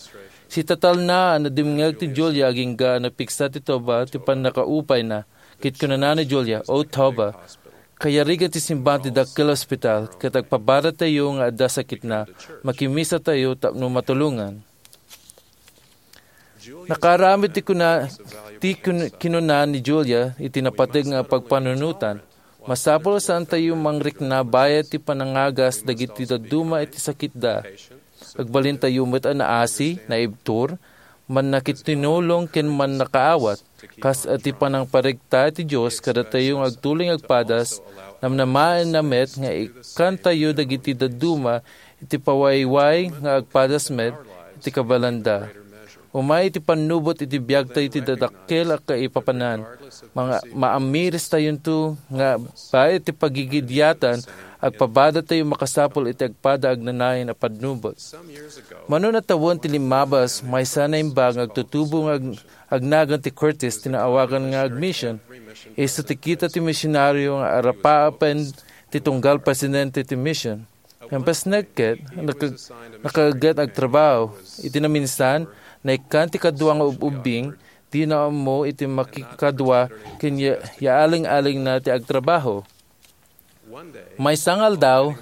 Sitatalna a nadimngeg ti Julia agingga a napigsa ti Toba ti pannakaupayna. Ket kunana ni Julia, "O Toba, kayarigan ti simbaan ti dakkel a ospital, ket agpabaratayo nga adda sakitna, makimisatayo tapno matulongan." Nakaaramid ti kuna-, ti kun-, kinuna ni Julia iti napateg nga pagpanunotan. Masapul a saantayo mangrikna bayat ti panangagas dagiti dadduma iti sakitda. Agbalintayo met a naasi, naibtur, mannakitinulong ken mannakaawat. Kas iti panangparegta ti Dios kadatayo nga agtuloy nga agpadas, namnamaenna met nga ikkantayo dagiti dadduma iti pawayway nga agpadas met iti kabalanda. Umay iti pannubot iti biagtayo ti dadakkel a kaipapanan. Manga-, maamiristayonto nga bayat ti pagigidiatan, agpabaratayo makasapul iti agpada agnanayon a pannubot. Mano a tawen ti limmabas, maysa a naimbag nga agtutubo nga ag-, agnagan ti Curtis ti naawagan nga agmission. Isu ti kita ti misionario nga arapaapen ti tunggal presidente ti mission. Ngem pasnek ket, naka-, nakaagget agtrabaho. Iti naminsan, naikkan ti kadua nga ub-ubbing, dina ammo iti makikadua ken ya-, yaaling-alingna ti agtrabaho. Maysa nga aldaw,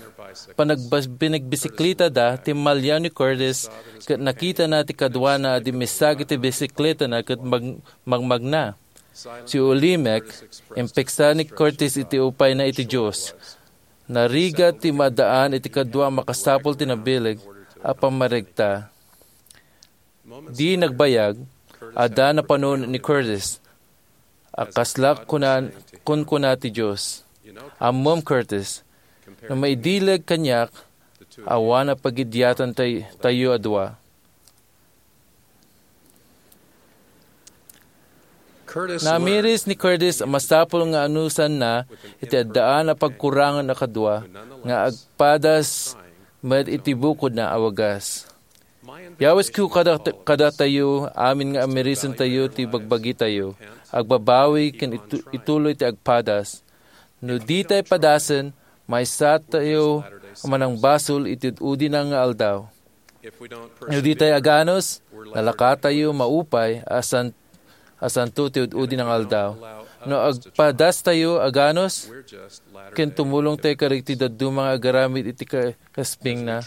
panagbas-, panagbisikleta da, timmalliaw ni Curtis ket nakitana ti kaduana a dimmisak iti bisikletana ket mag-, magmagna. Si Ulimek, impigsa ni Curtis iti upayna iti Dios. Narigat ti maadaan iti kadua a makasapul ti nabileg a pammaregta. Di nagbayag, adda napanuno ni Curtis. A kasla kunan-, kunkuna ti Dios. Ammom, Curtis, no maidileg kaniak, awan a pagidiatan tay-, tayo a dua. Namiris ni Curtis a masapul nga anusanna iti addaan a pagkurangan a kadua nga agpadas met iti bukodna a wagas. Yawisko kada, kadatayo amin nga amirisentayo ti bagbagitayo, agbabawi ken itu-, ituloy ti agpadas. No ditay padasen, maysatayo a manangbasol iti ud-udina nga aldaw. No ditay aganus, Nalakatayo maupay a san-, a santo ti ud-udi nga aldaw. No agpadastayo a ganus, ken tumulongtayo kadagiti dadduma nga agaramid iti ka-, kaspingna.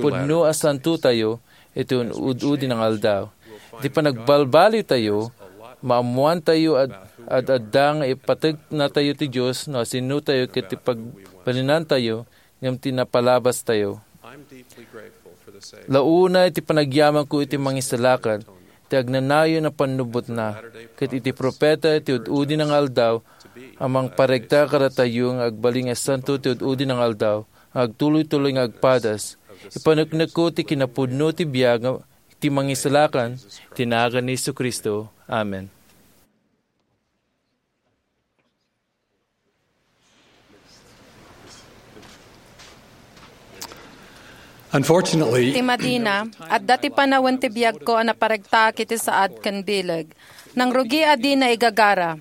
Pudno a santotayo iti un-, ud-udi nga aldaw. Iti panagbalbalitayo, maammoantayo ad-, ad-adda nga ipategnatayo ti Dios no asinotayo ket ti pagbalinantayo ngem ti napalabastayo. Launa iti panagyamanko iti Mangisalakan, ti agnanayon a pannubotna, ket iti propeta ti ud-udi nga aldaw a mangparegta kadatayo nga agbalin nga santo ti ud-udi nga aldaw, nga agtuloy-tuloy nga agpadas. Ipaneknekko ti kinapudno ti biag ti Mangisalakan, ti nagan ni Jesu-Cristo. Amen. Unfortunately, ti madina, adda ti panawen ti biagko a naparegtaak iti saad ken bileg. Nangrugi a dina igagara.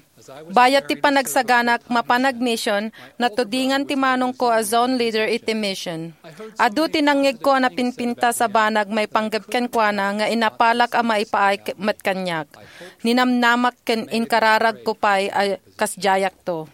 Bayat ti panagsaganak mapan agmission, natudingan ti manongko a zone leader iti mission. Adu ti nangngegko a napinpintas a banag maipanggep kenkuana nga inapalak a maipaay met kaniak. Ninamnamak ken inkararagko pay a kasdiayakto.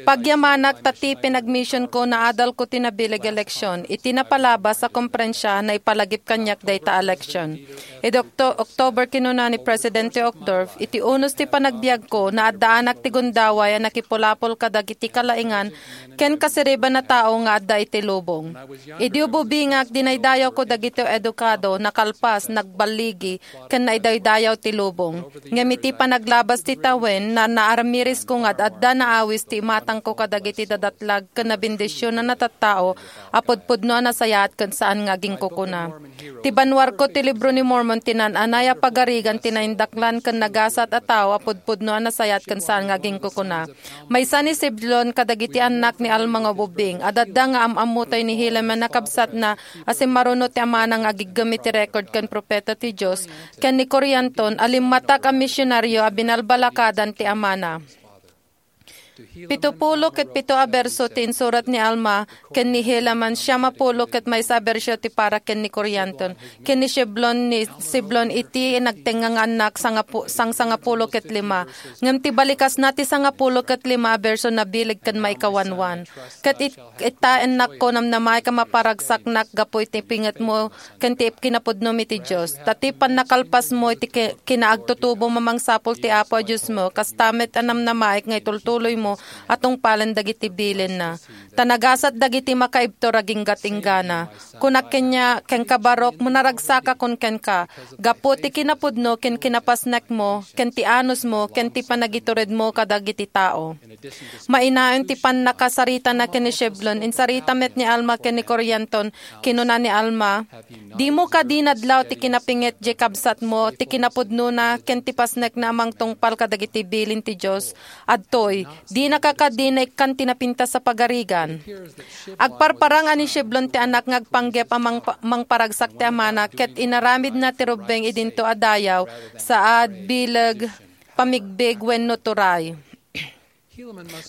Pagyamanak ta ti pinagmissionko, naadalko ti nabileg a leksion. Iti napalabas a komprensia, naipalagip kaniak dayta a leksion. Idi Octo-, October, kinuna ni Presidente Uchtdorf, "Iti unos ti panagbiagko, naaddaanak ti gundaway a nakipulapol kadagiti kalaingan ken kasiribaan a tao nga adda iti lubong. Idi ububingak, dinaydayawko dagiti edukado, nakalpas, nagballigi, ken naidaydayaw ti lubong. Ngem iti panaglabas ti tawen, na-, naaramiresko nga ad-adda naawis ti imatangko kadagiti dadatlag ken nabendisionan a tattao a pudpudno a nasayaat ken saan nga aginkukuna. Ti banwarko ti Libro ni Mormon ti naan-anay a pagarigan ti naindaklan ken nagasat a tao a pudpudno a nasayaat ken saan nga aginkukuna." Maysa ni Shiblon kadagiti annak ni Alma nga ubing. Ad-adda nga am-ammotay ni Helaman a kabsatna a simmaruno ti amana nga agiggem iti record ken propeta ti Dios, ken ni Corianton a limmatak a misionario a binalbalakadan ti amana. Pito pulo ket pito a berso ti insurat ni Alma ken ni Helaman, siam a pulo ket maysa a berso ti para ken ni Corianton, ken ni Shiblon, ni Shiblon iti nagtengnga nga annak, sangapu-, sangsangapulo ket lima. Ngem ti balikasna ti sangapulo ket lima a berso nabileg ken maikawanwan. Ket it-, ita, annakko, namnamaek a maparagsaknak gapu iti pingetmo ken ti kinapudnom iti Dios. Ta ti pannakalpasmo iti ki-, kinaagtutubom a mangsapul ti Apo a Diosmo, kasta met a namnamaek nga itultuloymo a tungpalen dagiti bilinna. Ta nagasat dagiti makaibtur aginggat-inggana. Kunak kenia, kenka, Baruch, managsakakon kenka, gapu ti kinapudno ken kinapasnekmo, ken ti anusmo, ken ti panagituredmo kadagiti tao. Mainayon ti pannakasaritana ken ni Shiblon, insarita met ni Alma ken ni Corianton. Kinuna ni Alma, "Dimo kadi nadlaw ti kinapinget diay kabsatmo, ti kinapudnona, ken ti pasnekna a mangtungpal kadagiti bilin ti Dios? Adtoy, dinaka kadi naikkan ti napintas a pagarigan?" Agparparang a ni Shiblon ti annak nga agpanggep a mangpa-, mangparagsak ti amana, ket inaramidna ti rubbeng idinto a dayaw, saad, bileg, pamigbig, wenno turay.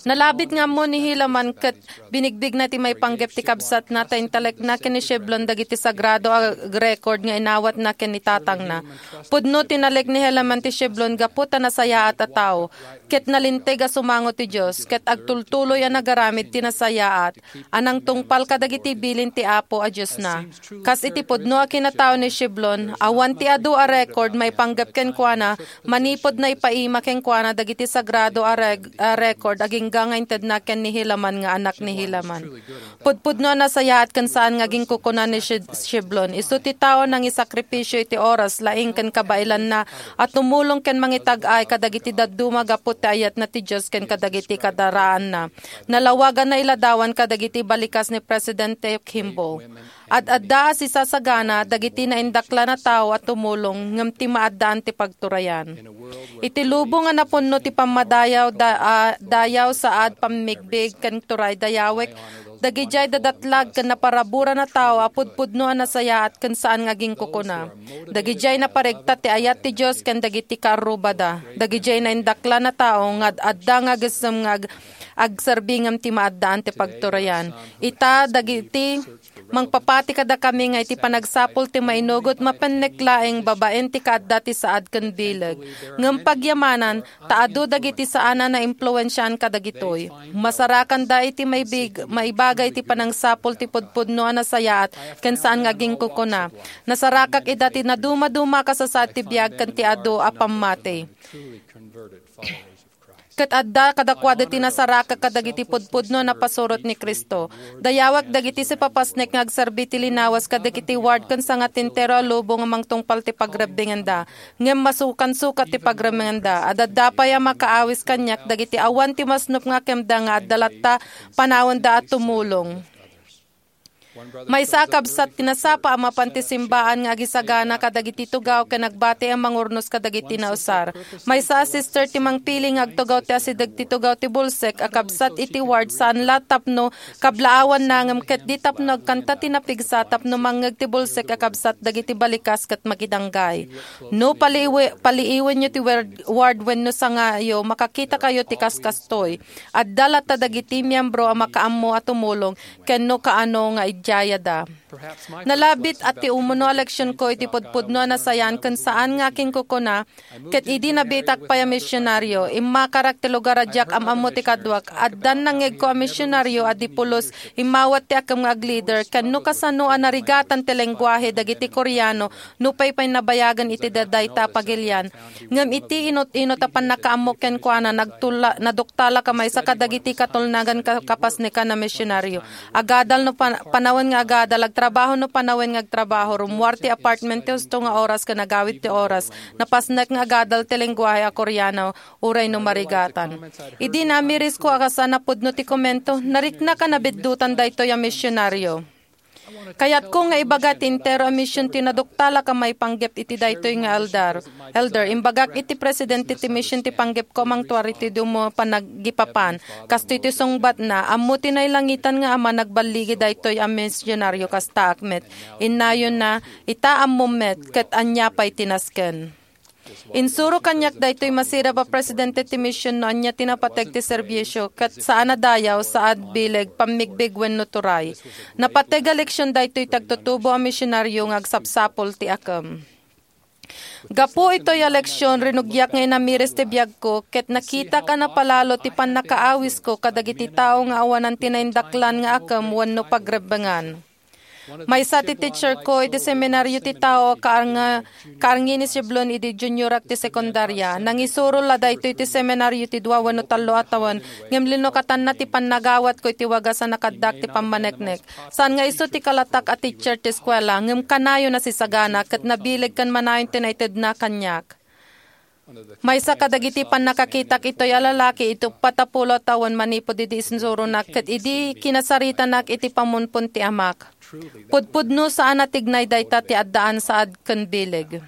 Nalabit nga ammo ni Helaman ket binigbigna ti maipanggep ti kabsatna, ta intalekna ken ni Shiblon dagiti sagrado a record nga inawatna ken ni tatangna. Pudno ti nalek ni Helaman ti Shiblon gapu ta nasayaat a tao, ket nalinteg a sumango ti Dios, ket agtultuloy a nagaramid ti nasayaat a nangtungpal kadagiti bilin ti Apo a Diosna. Kas iti pudno a kinatao ni Shiblon, awan ti adu a record maipanggep kenkuana manipud naipaima kenkuana dagiti sagrado a reg-, a record agingga nga intedna ken ni Helaman nga anak ni Helaman. Pudpudno a nasayaat ken saan nga aginkukuna ni Shi-, Shiblon. Isu ti tao nangisakripisio iti oras, laing, ken kabaelanna a tumulong ken mangitag-ay kadagiti dadduma gapu ti ayatna ti Dios ken kadagiti kadaraanna. Nalawagan a iladawan kadagiti balikas ni Presidente Kimball. Ad-adda a sisasagana dagiti naindaklan a tao a tumulong ngem ti maaddaan ti pagturayan. Iti lubong a napunno ti pammadayaw da-, a dayaw, saad, pammigbig, ken turay dayawek, dagidiay dadatlag ken naparaburan a tao a pudpudno a nasayaat ken saan nga aginkukuna. Dagidiay naparegta ti ayat ti Dios ken dagiti kaarrubada. Dagidiay naindaklan a tao nga ad-adda nga agessem nga ag-, agserbi ngem ti maaddaan ti pagturayan. Ita, dagiti Mangpapati kadakami nga iti panagsapul ti mainugot mapennek laeng babaen ti kaadda ti saad ken bileg. Ngem pagyamanan, ta adu dagiti saan a naimpluensiaan kadagitoy. Masarakanda iti maibig-, maibaga iti panangsapul ti pudpudno a nasayaat ken saan nga aginkukuna. Nasarakak ida ti nadumaduma a kasasaad ti biag ken ti adu a pammati. Ket adda kadakuada ti nasarakak kadagiti pudpudno a napasurot ni Cristo. Dayawek dagiti sipapasnek nga agserbi ti linawas kadagiti ward ken sangatentero a lubong a mangtungpal ti pagrebbengenda. Ngem masukansukat ti pagrebbengenda. Adda pay a makaawis kaniak dagiti awan ti masnop nga kemda nga adda latta panawenda a tumulong. Maysa a kabsat ti nasapa a mapan ti simbaan nga agisagana kadagiti tugaw ken agbati a mangurnos kadagiti nausar. Maysa a sister ti mangpili nga agtugaw ti asideg ti tugaw ti bulsek a kabsat iti ward saan la tapno kablaawanna ngem ket di tapno agkanta ti napigsa tapno mangngeg ti bulsek a kabsat dagiti balikas ket makidanggay. No paliiwe-, paliiwenyo ti wer-, ward wenno sangayo, makakitakayo ti kaskastoy. Adda latta dagiti miyembro a makaammo a tumulong ken no kaano nga idiayada. Nalabit a ti umuno a leksionko iti pudpudno a nasayaat ken saan nga akinkukuna, ket idi nabiitak pay a misionaryo, immakarak ti lugar a diak am-ammo ti kaduak. Addan nangngegko a misionaryo a di pulos immawat ti akem nga aglider, ken no kasano a narigatan ti lengguahe dagiti Koreano nupay pay nabayagen iti dadayta a pagilian. Ngem iti inut-inut a pannakaammo kenkuana, nagtula-, naduktalak a maysa kadagiti katulnagan ka-, kapasnekan a misionaryo. Agadal no pan-, panawen nga agadal, agtrabaho no panawen nga agtrabaho, rummuar ti apartment ti husto nga oras ken agawid ti oras. Napasnek nga agadal ti lengguahe a Koreano, uray no marigatan. Idi naamirisko a kasano a pudno ti komento, nariknak a nabiddutan daytoy a misionaryo. Kayatko nga ibaga ti entero a mision ti naduktalak a maipanggep iti daytoy nga elder. Elder, imbagak iti presidente ti mision ti panggepko a mangtuar iti dumo panaggipapan. Kastoy ti sungbatna, ammo ti nailangitan nga Ama nagballigi daytoy a misionaryo kastaak met. Innayonna, ita ammom met, ket ania pay ti nasken? Insuro kaniak daytoy masirib a presidente ti mision no ania ti napateg ti serbisio, ket saan a dayaw, saad, bileg, pammigbig wenno turay. Napateg a leksion daytoy ti agtutubo a misionaryo nga agsapsapul ti akem. Gapu itoy a leksion, rinugiak nga inamiris ti biagko, ket nakitak a napalalo ti pannakaawisko kadagiti tao nga awanan ti naindaklan nga akem wenno pagrebbengan. Maysa ti teacherko iti seminaryo ti tao a kaarnga-, kaarngi ni Siblon idi juniorak ti sekundaria. Nangisuro la daytoy ti seminaryo ti dua wenno tallo a tawen, ngem linukatanna ti pannagawatko iti wagas a nakaddak ti pammaneknek. Saan nga isu ti kalatak a teacher ti eskuela, ngem kanayon a sisagana ket nabileg ken manayon ti naitedna kaniak. Maysa kadagiti pannakakitak itoy a lalaki iti uppat a pulo a tawen manipud idi insuronak ket idi kinasaritanak iti pamunpon ti amak. Pudpudno saan a tignay dayta ti addaan saad ken bileg.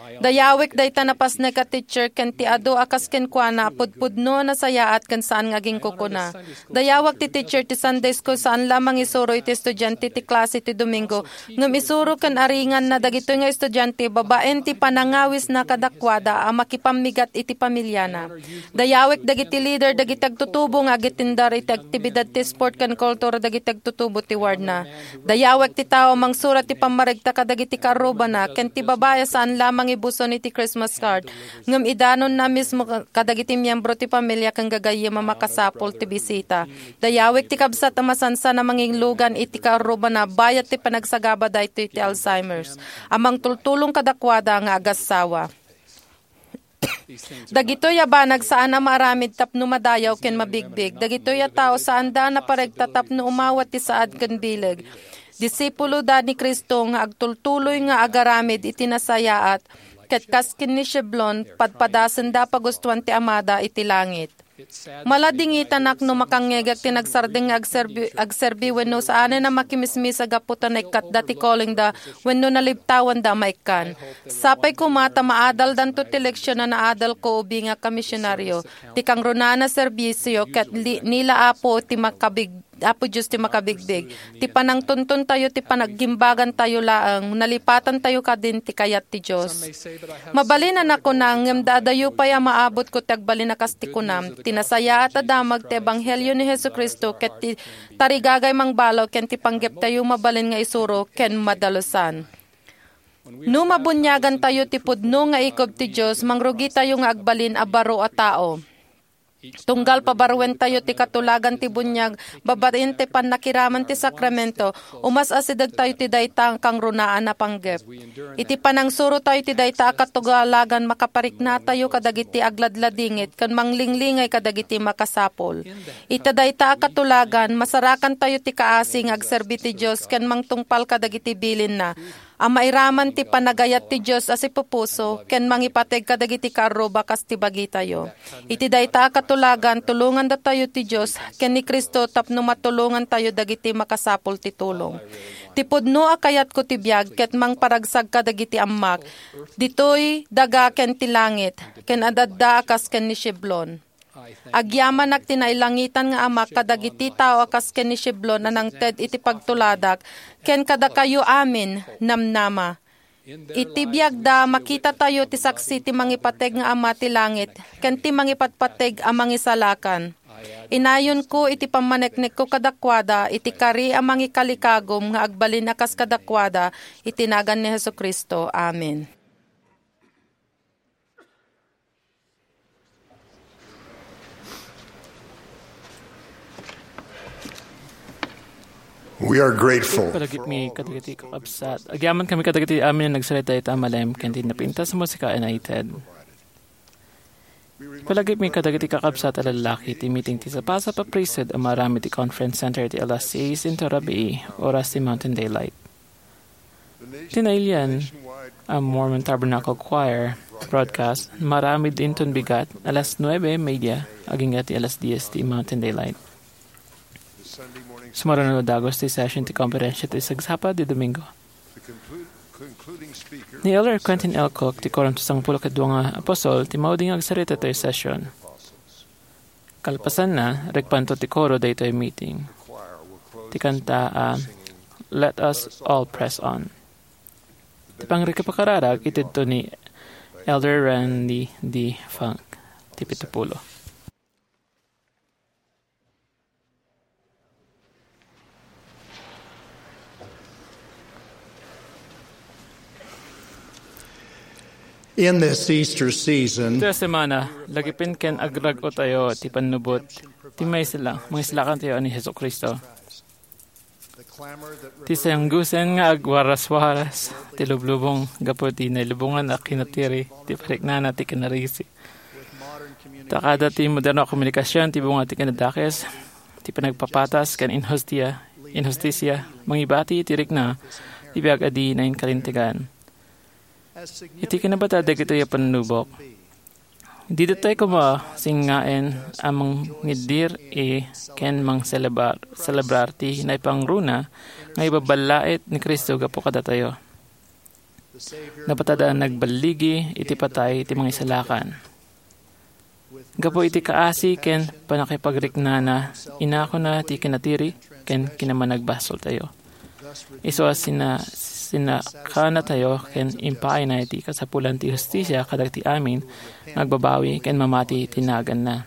Dayawek dayta napasnek a teacher ken ti adu a kas kenkuana a pudpudno a nasayaat ken saan nga aginkukuna. Dayawek ti teacher ti Sunday school saan la a mangisuro iti estudiante ti klase ti Domingo, ngem isuro ken aringanna dagitoy nga estudiante babaen ti panangawisna kadakuada a makipammigat iti pamiliana. Dayawek dagiti leader dagiti agtutubo nga agitindar iti aktibidad ti sport ken kultura dagiti agtutubo ti wardna. Dayawek ti tao a mangsurat ti pammaregta kadagiti kaarrubana ken ti babai a saan la a mangibuson iti Christmas card, ngem idanonna mismo kadagiti miembro ti pamilia ken gagayyem a makasapul ti bisita. Dayawek ti kabsat a masansan a manginglugan iti kaarrubana bayat ti panagsagaba daytoy ti Alzheimer's, a mangtultulong kadakuada nga agassawa. Dagitoy a banag saan a maaramid tapno madayaw ken mabigbig. Dagitoy a tao saanda a naparegta tapno umawat ti saad ken bileg. Disipuloda ni Cristo nga agtultuloy nga agaramid iti nasayaat, ket kas ken ni Sheblon, padpadasenda a pagustuan ti Amada iti langit. Maladingitanak no makangngegak ti nagsardeng nga agserbi, agserbi wenno saanen a makimismisa gapu ta naikkatda ti callingda wenno nalibtawanda a maikkan. Sapay koma ta maadaldanto ti leksion a naadalko ubingak a misionaryo. Ti kangrunaan a serbisio ket li-, ni la Apo ti makabig-, Apo Dios ti makabigbig. Ti panangtuntontayo, ti panaggimbagantayo laeng, nalipatantayo kadin ti kayat ti Dios. Mabalin a nakuna, ngem daadayo pay a maabutko ti agbalin a kas ti kunam. Ti nasayaat a damag ti ebanghelio ni Jesu-Cristo ket ti tarigagay mangbalaw ken ti panggeptayo mabalin nga isuro ken madalusan. No mabuniagantayo ti pudno nga ikub ti Dios, mangrugitayo nga agbalin a baro a tao. Tunggal pabaruentayo ti katulagan ti buniag babaen ti pannakiraman ti sakramento, umas-asidegtayo ti dayta a kangrunaan a panggep. Iti panangsurotayo ti dayta a katulagan, makapariknatayo kadagiti agladladingit ken manglinglingay kadagiti makasapul. Ita dayta a katulagan, masarakantayo ti kaasi nga agserbi ti Dios ken mangtungpal kadagiti bilinna. A mairaman ti panagayat ti Dios a sipupuso ken mangipateg kadagiti kaarruba kas ti bagitayo. Iti dayta a katulagan, tulongandatayo ti Dios ken ni Cristo tapno matulongantayo dagiti makasapul ti tulong. Ti pudno a kayatko ti biag ket mangparagsak kadagiti ammak. Ditoy daga ken ti langit, ken adda a kas ken ni Shiblon. Agyamanak ti nailangitan nga Amak kadagiti tao a kas ken ni Shiblon a nangted iti pagtuladak, ken kadakayo amin, namnama. Iti biagda, makitatayo ti saksi ti mangipateg nga Ama ti langit, ken ti mangipatpateg a Mangisalakan. Inayonko iti pammaneknekko kadakuada iti kari a mangikalikagum nga agbalin a kas kadakuada, iti nagan ni Jesu-Cristo. Amen. We are grateful. Palagipmi kadagiti kakabsat. Agyaman kami kadagiti amin a nagsarita ita a malem ken ti napintas a musika a naited. Palagipmi kadagiti kakabsat a lallaki ti meeting ti Sapasapa Priesthood a maaramid ti Conference Center ti alas seis inton rabii, oras ti Mountain Daylight. Ti nailian a Mormon Tabernacle Choir broadcast, maaramid inton bigat, alas nuebe media, agingga ti alas dies ti Mountain Daylight. Sumaruno a dagus ti session ti komperensia ti sagsapa ti Domingo. Ni Elder Quentin L. Cook, ti Quorum ti Sangpulo ket Dua nga Apostol, ti maudi nga agsarita iti session. Kalpasanna, regpanto ti koro daytoy meeting. Ti kanta a Let Us All Press On. Ti pangrikipakararag itedto ni Elder Randy D. Funk, ti pitupulo. In this Easter season, ita semana, lagipin ken agrag-otayo ti pannubot ti maisla-, mangislakantayo a ni Jesu-Cristo. Ti sanggusen nga agwaraswaras ti lublubong gapu ti nailubongan a kinatiri ti pariknana ti kinarisi. Ta kada ti moderno a komunikasion ti bunga ti kinadakes, ti panagpapatas ken inhustia-, inhustisia, mangibati ti rikna ti biag a di nainkalintegan. Iti kinabata dagitoy a pannubok, dida tayo koma singaen a mangiddir ken mangselebrar, selebrar ti naipangruna nga ibaballaet ni Cristo gapu kadatayo. Napatada a nagballigi iti patay ti mangisalakan. Gapu iti kaasi ken pannakipagriknana, inakona ti kinatiri ken kinamanagbasoltayo. Isu a sina-, sinakanatayo ken impaayna iti kasapulan ti hustisia kadagiti amin nga agbabawi ken mamati ti naganna.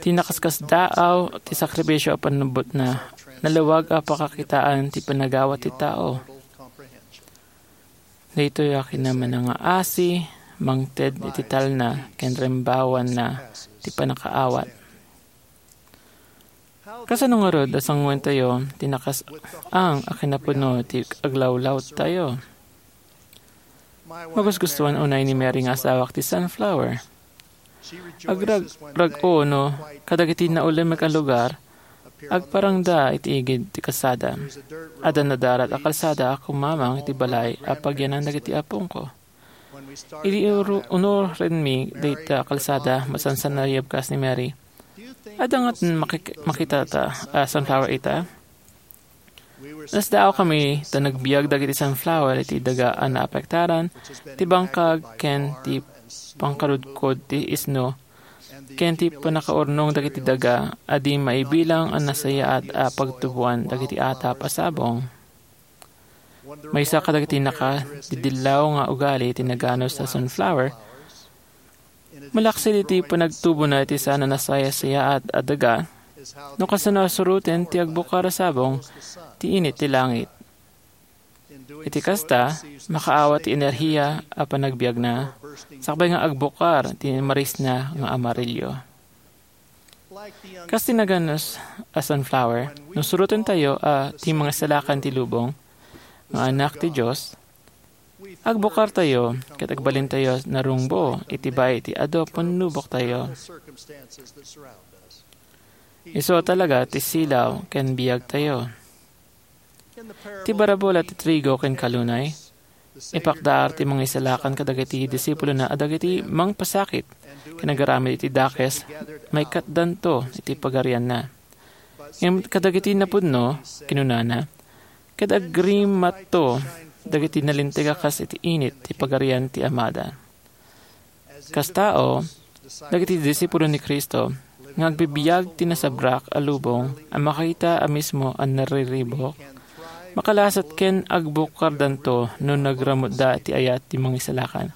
Ti nakaskasdaaw ti sakrifisio a pannubbotna, nalawag a pakakitaan ti panagawat ti tao. Daytoy a kinamanangaasi, mangted iti talna ken rembawanna ti pannakaawat. Kasano ngarud a sanguentayo ti nakas-, ang a kinapudno ti aglawlawtayo? Magusgustuan unay ni Mary nga asawak ti sunflower. Agrag-, rag-o no kadagiti naulem a lugar, agparangda iti igid ti kalsada. Adda nadarat a kalsada a kumamang iti balay a pagyanan dagiti apongko. Idi uru-, unurenmi dayta a kalsada, masansan a nayabkas ni Mary. Adda ngarud makik-, makitata a sunflower ita? Nasdaaw kami ta nagbiag dagiti sunflower iti daga a naapektaran ti bangkag ken ti pangkarudkod ti isno ken ti pannakaurnong dagiti daga a di maibilang a nasayaat a pagtuboan dagiti atap a sabong. Maysa kadagiti nakadidillaw nga ugali ti naganus a sunflower, malaksid iti panagtubona iti saan a nasayasayaat a daga, no kasano a suroten ti agbukar a sabong ti init ti langit. Iti kasta, makaawat ti enerhiya a panagbiagna, sakbay nga agbukar ti marisna nga amarillo. Kas ti naganus a sunflower, no surotentayo a ti mangisalakan ti lubong nga anak ti Dios, agbukartayo ket agbalintayo narungbo iti bai ti adu a pannuboktayo. Isu talaga ti silaw ken biagtayo. Ti barabula ti trigo ken kalunay, ipakdaar ti mangisalakan kadagiti disipulona a dagiti mangpasakit ken agaramid iti dakes, maikatdanto iti pagarianna. Ngem kadagiti napudno, kinunana, ket agrimatto dagiti nalinteg a kas iti init ti pagarian ti Amada. Kas tao, dagiti disipulo ni Cristo nga agbibiag ti nasabrak a lubong a makakita a mismo a nariribuk, makalasat ken agbukardanto no nagramutda ti ayat ti mangisalakan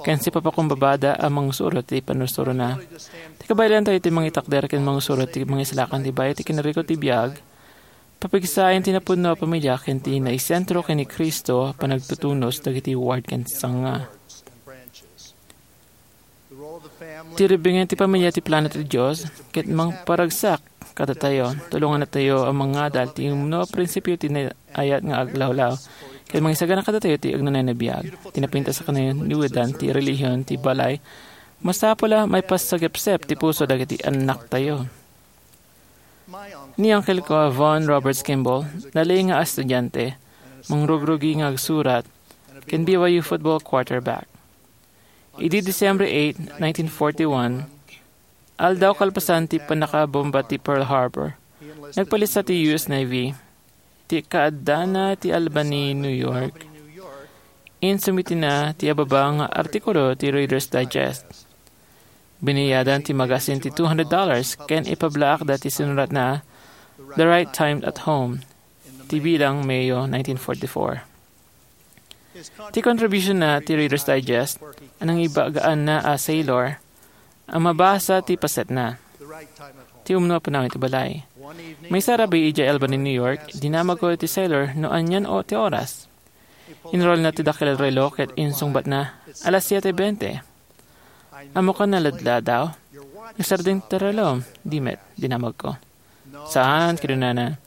ken sipapakumbabada a mangsurot ti panursurona. Ti kabaelantayo ti mangitakder ken mangsurot ti mangisalakan ti bai ti kinarikot ti biag, papigsaen ti napudno a pamilia ken ti naisentro ken ni Cristo a panagtutunos dagiti ward ken sanga. Ti ribbengen ti pamilia ti plano ti Dios, ket mangparagsak kadatayo, tulongannatayo a mangadal ti umno a prinsipio ti ayat nga aglawlaw, ket mangisagana kadatayo ti agnanayon a biag. Ti napintas a kinaniwedan ti relihiyon ti balay, masapul a maipasagepsep ti puso dagiti annaktayo. Ni uncle ko a Vaughn Roberts Kimball, nalaing nga estudiante, mangrugrugi nga agsurat, ken B Y U football quarterback. Idi Disyembre eight, nineteen forty-one, aldaw kalpasan ti pannakabomba ti Pearl Harbor, nagpalista ti U S Navy ti kaaddana ti Albany, New York. Insumitina ti ababa nga artikulo ti Reader's Digest. Biniyadan ti magasin ti two hundred dollars ken ipablaakda ti sinuratna, "The Right Time at Home," ti bilang Mayo nineteen forty-four. Ti contribution na ti Reader's Digest, a nangibagaanna a sailor, a mabasa ti pasetna. Ti umno a panawen ti balay. Maysa rabii idiay Albany, New York, dinamagko iti sailor no anian o ti oras. Inrolna ti dakkel a relo ket insungbatna, "Alas siete bente." "Ammoka naladladaw? Nagsardeng ti relom, di met?" dinamagko. "Saan," kinunana.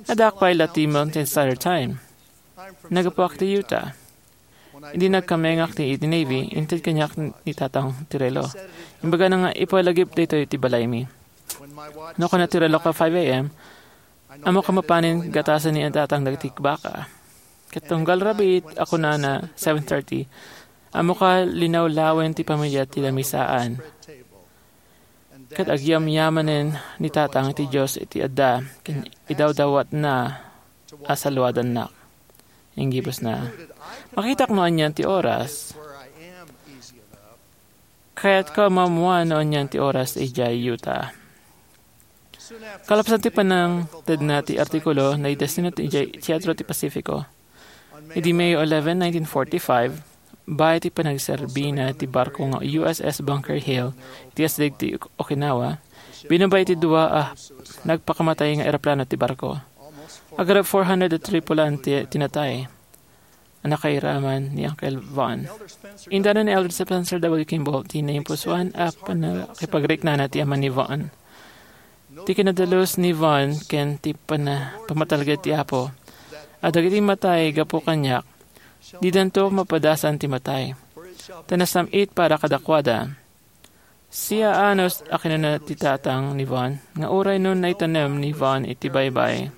"Addaak pay la ti Mountain Standard Time. Naggapuak ti Utah." Idi nagkamengak ti iti Navy, inted kaniak ni tatang ti relo. Imbagana nga ipalagip daytoy ti balaymi. No kuna ti relo a five a m, ammok a mapanen gatasen ni tatang dagiti baka. Ket tunggal rabii a kunana seven thirty, ammok a linawlawen ti pamilia ti lamisaan. Ket agyamyamanen ni tatang ti Dios iti adda ken idawdawatna a saluadannak. Inggibusna. Makitak no anian ti oras. Kayatko a maammoan no anian ti oras idiay Utah. Kalpasan ti panangtedna ti artikulo, naidestino ti idiay Teatro ti Pacifico. Idi May eleven, nineteen forty-five, baet ti panagserbina ti barko nga U S S Bunker Hill iti asideg ti Okinawa, binabay ti dua a nagpakamatay nga eroplano ti barko. Agarab four hundred a tripulante ti natay a nakairaman ni Uncle Vaughn. Indano ni Elder Spencer W. Kimball ti naimpusoan a pannakipagriknana ti ama ni Vaughn. Ti kinadalus ni Vaughn ken ti pana-, pamatalged ti Apo a dagiti matay gapu kaniak, didanto mapadasan ti matay. Ta nasam-it para kadakuada. Sia anos a kinuna ti tatang ni Vaughn nga uray no naitanem ni Vaughn iti baybay,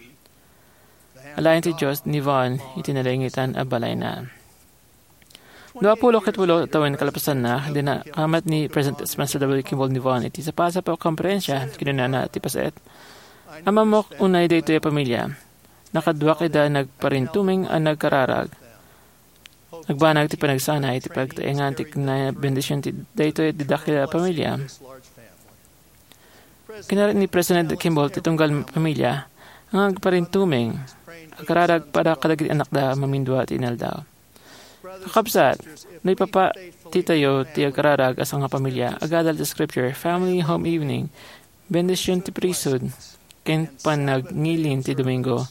alaen ti Dios ni Vaughn iti nalingitan a balayna. Dua pulo ket ulo tawen kalpasanna, idi nakamat ni President Spencer W. Kimball ni Vaughn iti sapasap a komperensia, kinunana ti paset, "Ammok unay daytoy a pamilia. Nakaduak ida nagparintumeng a nagkararag. Nagbanag ti panagsana iti pagtaengan ti kinabendisyon ti daytoy a dakkel a pamilia." Kinarit ni President Kimball ti tunggal pamilya nga agparintumeng, agkararag para kadagiti annakda a mamindua ti inaldaw. Kakabsat, no ipapatitayo ti agkararag a sangapamilya, agadal ti Scripture, family home evening, bendision ti priesthood, ken panagngiling ti Domingo.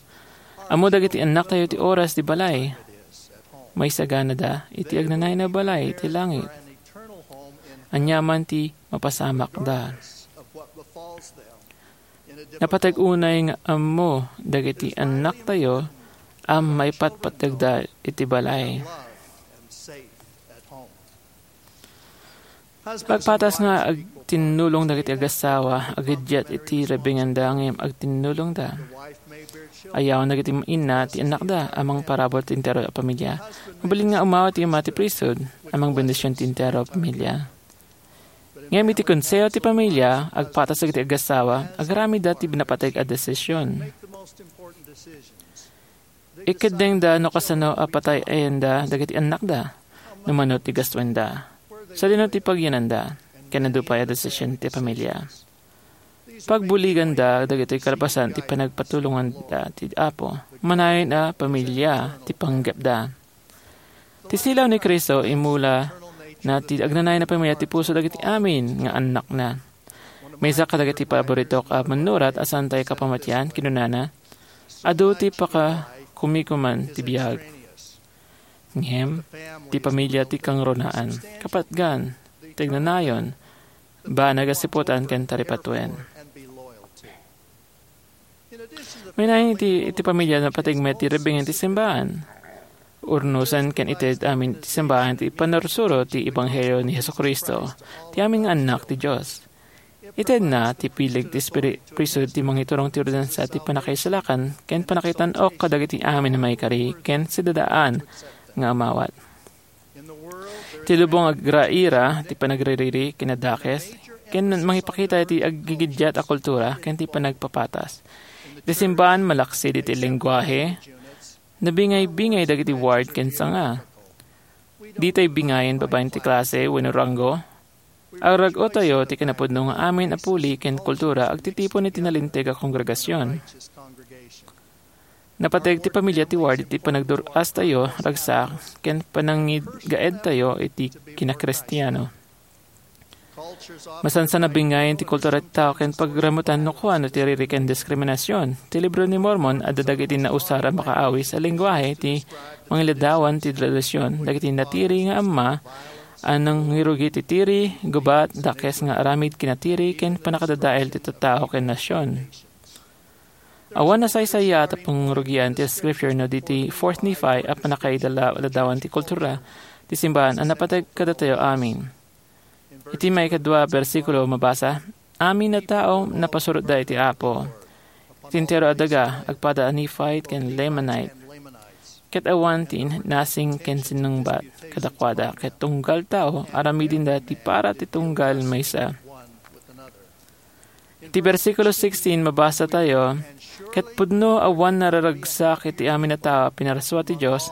Ammo dagiti annaktayo ti oras ti balay. Maisaganada iti agnanayon a balay iti langit. Aniaman ti mapasamakda. Napateg unay nga ammo dagiti annaktayo a maipatpategda iti balay. Pagpatas nga agtinnulong dagiti agassawa, agiddiat iti rebbenganda ngem agtinnulongda. Ayawan dagiti inna ti annakda a mangparabur ti entero a pamilya. Mabalin nga umawat ti ama ti priesthood a mangbendision ti entero a pamilya. Ngem iti konseho ti pamilya, agpatas dagiti agassawa, agaramidda ti napateg a desisyon. Ikeddengda no kasano a patay-ayenda dagiti annakda, no mano ti gastuenda, sadino ti pagyananda, ken adu pay a desisyon ti pamilya. Pagbuliganda dagiti kalpasan ti panagpatulonganda ti Apo, manayon a pamilya ti panggepda. Ti silaw ni Cristo, imula na ti agnanayon a pamilya ti puso dagiti amin nga annakna. Maysa kadagiti paboritok a mannurat a saan tayo kapamatian, kinunana, "Adu ti pakakumikuman ti biag. Ngem, ti pamilya ti kangrunaan, kapatgan, ti agnanayon, banag a siputan ken taripatuen." Mainayon iti, iti pamilya, napateg met ti rebbeng ti simbahan. Urnosen ken ited amin ti simbahan ti pannursuro ti ebanghelio ni Jesu-Cristo, ti amin nga annak ti Dios. Itedna ti pileg ti espiri-, priesthood ti mangiturong ti ordenansa ti pannakaisalakan ken pannakitan-ok kadagiti amin a maikari ken sidadaan nga umawat. Ti lubong agraira ti panagririri ken addakes, ken mangipakita iti aggigiddiat a kultura ken ti panagpapatas. Iti simbahan, malaksid iti lengguahe, nabingay-bingay dagiti ward ken sanga. Ditay bingayen babaen ti klase wenno ranggo. Agrag-otayo ti kinapudno nga amin a puli ken kultura agtitipon iti nalinteg a kongregasion. Napateg ti pamilya ti ward iti panagdur-astayo, ragsak, ken panangigaedtayo iti kinakristiano. Masansan a bingayen ti kultura ti tao ken pagrammutan no kuano ti riri ken diskriminasion. Ti Libro ni Mormon, adda dagiti nausar a makaawis a lengguahe ti mangiladawan ti tradision. Dagiti natiri nga amma a nangirugi ti tiri, gubat, dakes nga aramid kinatiri, ken pannakadadael ti tattao ken nasion. Awan a saysayaat a pangrugian ti Scripture no di ti Fourth Nephi a pannakailadawan ti kultura ti simbahan a napateg kadatayo amin. Iti maikadua a bersikulo, mabasa, "Amin a tao napasurotda iti Apo. Iti entero a daga, agpada a Nephite ken Lamanite, ket awan ti nasing ken sinungbat kadakuada, ket tunggal tao, aramidenda ti para ti tunggal maysa." Iti bersikulo sixteen, mabasa tayo, "Ket pudno awan nararagsak iti amin a tao a pinarsuat ti Dios,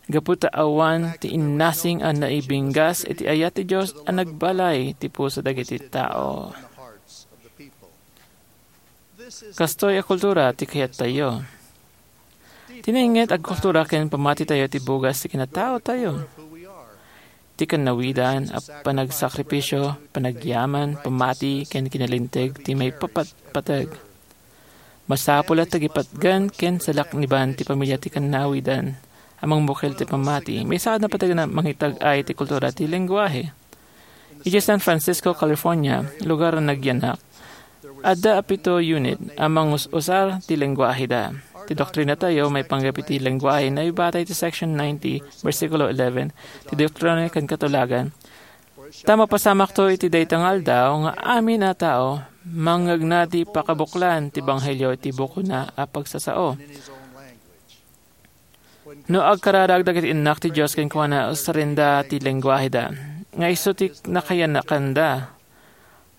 gapu ta awan ti innasing a naibinggas iti ayat ti Dios a nagbalay ti puso dagiti tao." Kastoy a kultura ti kayattayo. Ti nainget a kultura ken pammatitayo ti bugas ti kinataotayo. Ti kannawidan a panagsakripisio, panagyaman, pammati, ken kinalinteg ti maipapatpateg. Masapul a tagipatgan ken salakniban ti pamilya ti kannawidan a mangbukel ti pammati. Maysa a napateg a mangitag-ay ti kultura ti lengguahe. Idiay San Francisco, California, lugar a nagyanak, adda a pito unit a mangus-usar ti lengguaheda. Ti doktrinatayo maipanggep iti lengguahe naibatay iti Section ninety, bersikulo eleven, ti Doktrina ken Katulagan. Ta mapasamakto iti dayta nga aldaw nga amin a tao mangngegna ti pakabuklan ti ebanghelio iti bukonna a pagsasao. No agkararag dagiti innak ti Dios kenkuana, usarenda ti lengguaheda, nga isu ti nakayanakanda.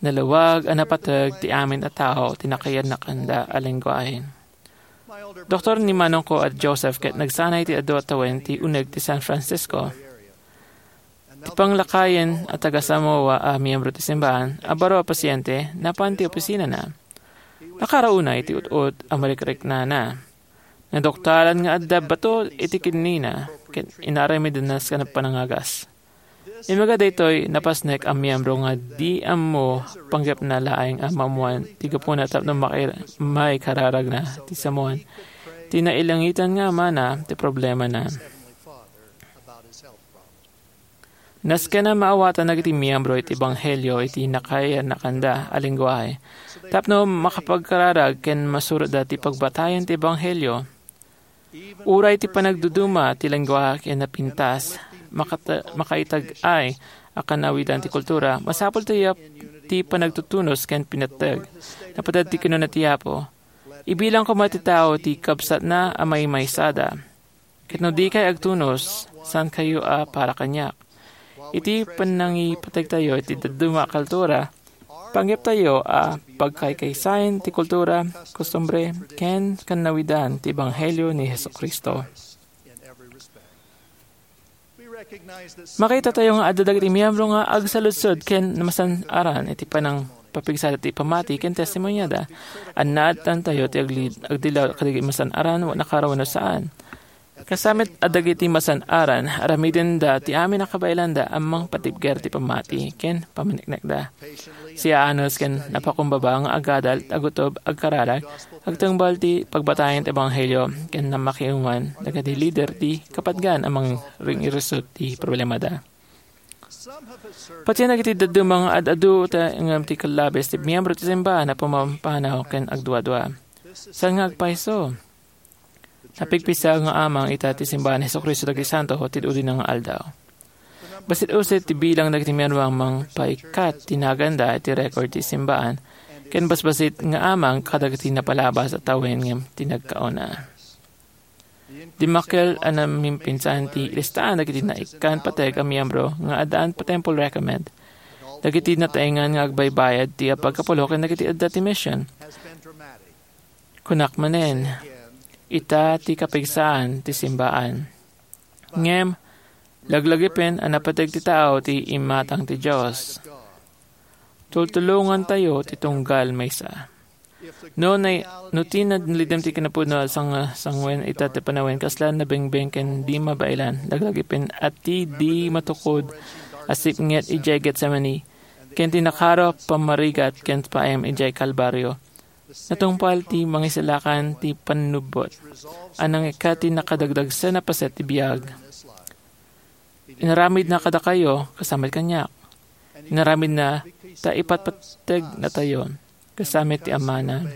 Nalawag a napateg ti amin a tao ti nakayanakanda a lengguahe. Doktor ni manongko a Joseph ket nagsanay ti adu a tawen ti uneg ti San Francisco. Ti panglakayen a taga-Samoa a miyembro ti simbahan a baro a pasyente napan ti opisinana. Nakarauna iti ut-ot a marikriknana. Naduktalan nga adda bato iti kidneyna ket inaramidna sa panangagas. Immuna daytoy, napasnek a miyembro nga di ammo panggepna laeng a maammoan ti gapuna tapno maki-, maikararagna ti samoan ti nailangitan nga Amana ti problemana. Nasken a maawatan dagiti miyembro iti ebanghelio iti nakayanakanda a lengguahe tapno makapagkararag ken masurotda ti pagbatayen ti ebanghelio. Uray ti panagduduma ti lengguahe ken napintas, makata-, makaitag-ay a kanawidan ti kultura, masapul ti, ti panagtutunos ken pinatteg. Napated ti kinuna ti Apo, "Ibilang koma ti tao ti kabsatna a maymaysada. Ket no dikay agtunos, saankayo a para kaniak." Iti pannangipategtayo iti dadduma a kultura, panggeptayo a pagkaykaysaen ti kultura, kostumbre, ken kanawidan ti ebanghelio ni Jesu-Cristo. Makitatayo nga adda dagiti miyembro nga agsaludsod ken namasan-aran iti panangpapigsada ti pammati ken testimoniada. Annaadtantayo ti agli-, agdilaw kadagiti masan-aran, nakaraw wenno saan. Kasamet a dagiti masan-aran, aramidenda ti amin a kabaelanda a mangpatibker ti pammati ken pammaniknekda. Siaanus ken napakumbaba nga agadal, agutob, agkararag, agtungpal ti pagbatayen ti ebanghelio ken namakiuman dagiti lider ti kapadgan a mangring-irisut ti problemada. Patien dagiti dadduma nga ad-adu ta ngem ti kallabes ti miyembro ti simbahan a pumampanaw ken agduadua. Saan nga agpayso? Napigpigsa nga amang ita ti simbahan ni Jesu-Cristo dagiti santo ti udi-udina nga aldaw. Bassit-ussit ti bilang dagiti miyembro a mangpaikkat ti naganda iti record ti simbahan, ken basbassit nga amang kadagiti napalabas a tawen ngem ti nagkauna. Dimmakkel a namimpinsan ti listaan dagiti naikkan pateg a miyembro nga addaan pa temple recommend. Dagiti nataengan nga agbaybayad ti apagkapulo ken dagiti adda ti mission. Kunak manen, ita ti kapigsaan ti simbaan. Ngem, laglagipen a napateg ti tao ti imatang ti Dios. Tultulongantayo ti tunggal maysa. No, nay-, no ti nalidem ti kinapudno a sang-, sanguen ita ti panawen, kasla nabengbeng ken di mabaelan, laglagipen a ti di matukod a sipnget idiay Getsemani, ken ti nakaro a pammarigat ken paim idiay Kalbario. Natungpal ti mangisalakan ti pannubbot a nangikkat ti nakadagdagsen a paset ti biag. Inaramidna kadakayo, kasamet kaniak. Inaramidna ta ipatpategnatayo, kasamet ti Amana.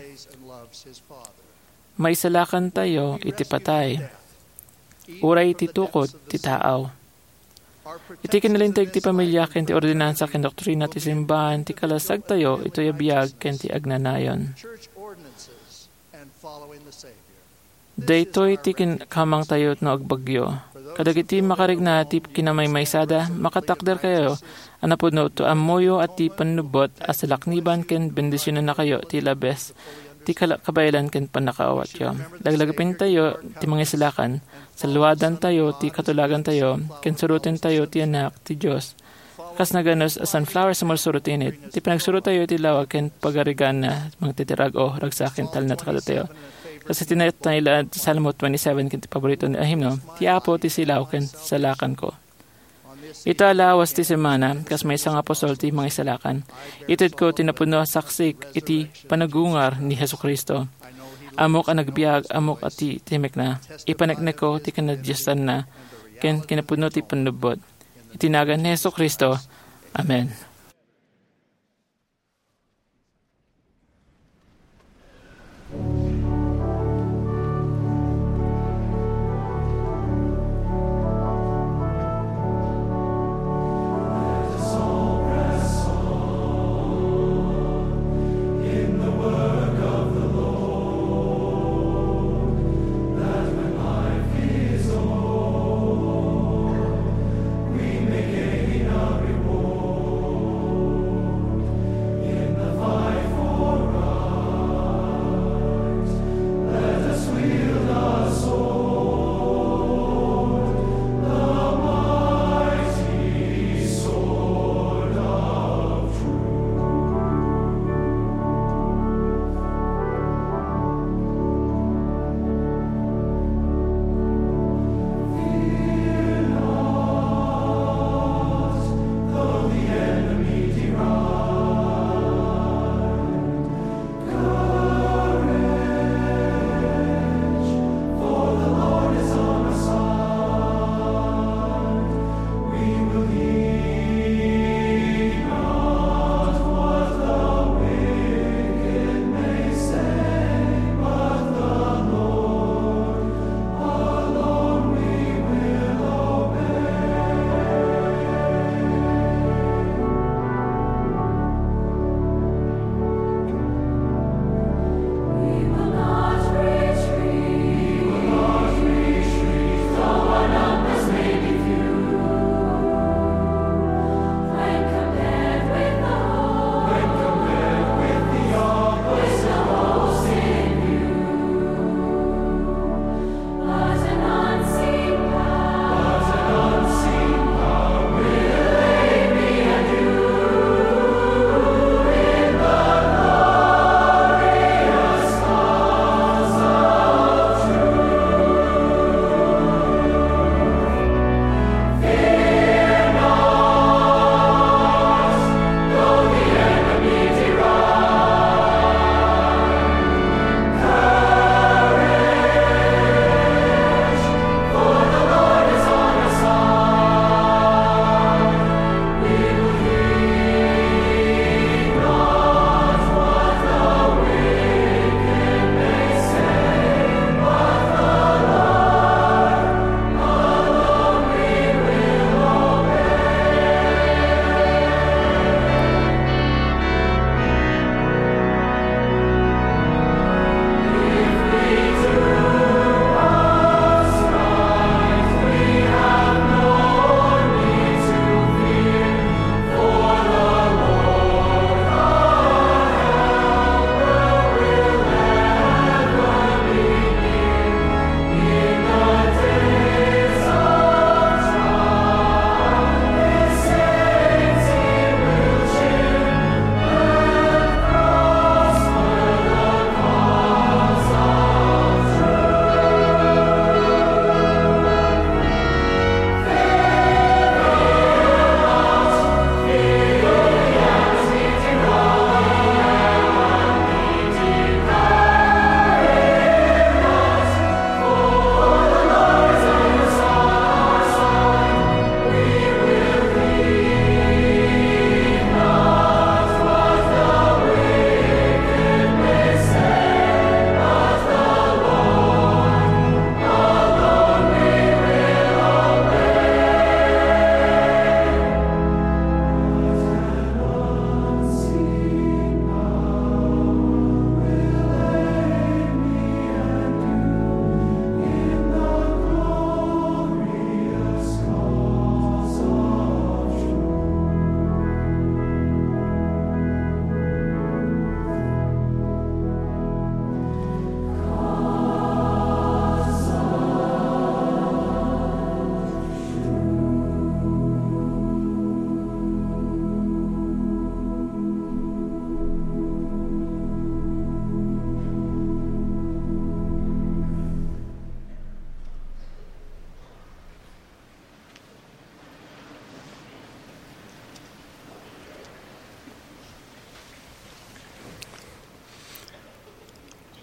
Maisalakantayo iti patay, uray iti tukod ti taaw. Iti kinalinteg ti pamilia ken ti ordinansa ken doktrina ti simbahan ti kalasagtayo itoy a biag ken ti agnanayon. Daytoy ti kin-, kamangtayo no agbagyo. Kadagiti makarikna ti kinamaymaysada, makatakderkayo a napudno to ammoyo a ti pannubbot a salakniban ken bendisionannakayo ti labes ti kala-, kabaelan ken pannakaawatyo. Laglagipentayo ti mangisalakan, saluadantayo ti katulagantayo, ken surotentayo ti Anak ti Dios. Kas naganus a sunflower, sumursurot ti init. Ti panagsurottayo iti lawag ken pagariganna, mangtitirag, o ragsak ken talna kadatayo. Kas iti nailaed ti Salmo twenty-seven ken ti paborito a himno, "Ti Apo ti silaw ken salakanko." Ita a lawas ti semana, kas maysa nga apostol ti mangisalakan, itedko ti napudno a saksik iti panagungar ni Jesu-Cristo. Ammok a nagbiag, ammok a ti timekna. Ipaneknekko ti kinadiosanna ken kinapudno ti pannubbot. Iti nagan ni Jesu-Cristo. Amen.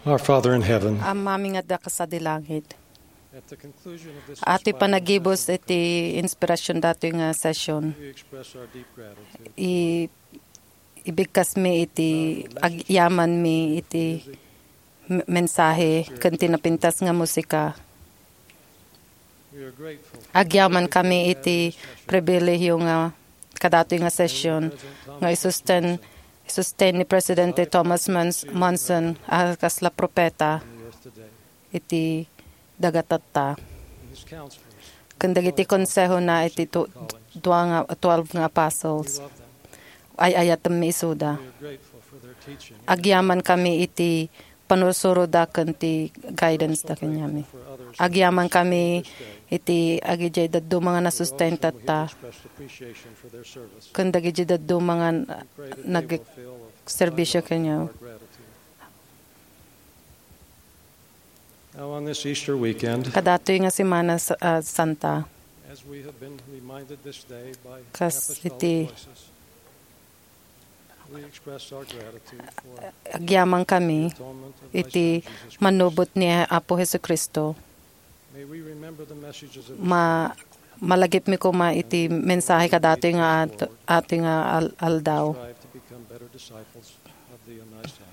Our Father in heaven, Amami nga adda kasadi langit. At the conclusion of this Ati inspiring panagibus sermon, iti inspirasyon datoy nga session, we express our deep gratitude. I-, ibigkasmi iti agyamanmi iti m-, mensahe ken ti napintas nga musika. We are grateful. Agyaman kami iti pribilehiyo nga kadatoy nga session nga isusten, isusten ni Presidente Thomas Mons-, Monson a kasla propeta iti dagatatta. Ken dagiti konsehona iti tu-, dua nga, twelve nga apostles. Ay-ayatemmi isuda. Agyaman kami iti panursuroda ken ti guidance da kaniami. Agyaman kami iti agidiay dadduma nga nasustentatta ken dagiti dadduma nga nagserbisyo kaniami. Now, on this Easter weekend, Kadatoy nga Semana Sa-, ah, Santa, as we have been reminded this day by kas apostolic iti voices, we express our gratitude for agyaman kami the atonement of thy iti Son, Jesus Christ. Manubot ni Apo Jesucristo. May we remember the messages of this Ma-, malagipmi koma iti mensahe kadatoy nga at-, atoy nga al-, aldaw. Strive to become better disciples of thee and thy Son.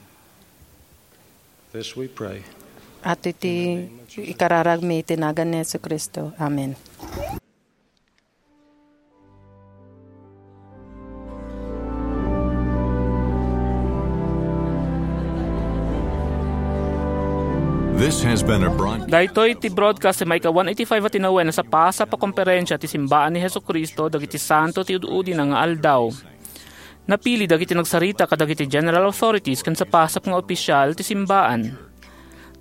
This we pray. At iti ikararagmi iti nagan ni Jesucristo. Amen. This has been a broad- Daytoy ti broadcast ti maikawan iti five a tinawen a sapasap a konferensia ti simbaan ni Jesucristo dagiti santo ti ud-udina nga aldaw. Napili dagiti nagsarita kadagiti general authorities ken sapasap nga opisial ti simbaan.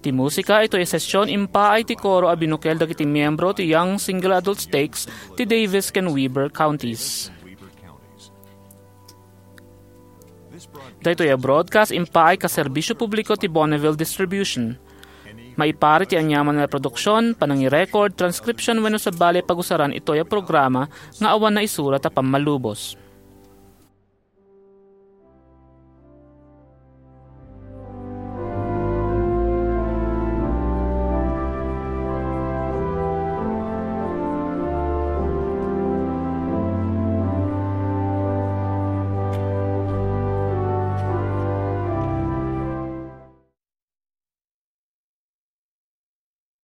Ti musika itoy a session impaay ti koro a binukel dagiti miyembro ti Young Single Adult Stakes ti Davis ken Weber Counties. Daytoy a broadcast impaay kas serbisyo publiko ti Bonneville Distribution. Maipari ti aniaman a reproduksion, panangirecord, transcription wenno sabali a pagusaran itoy a programa nga awan naisurat a pammalubos.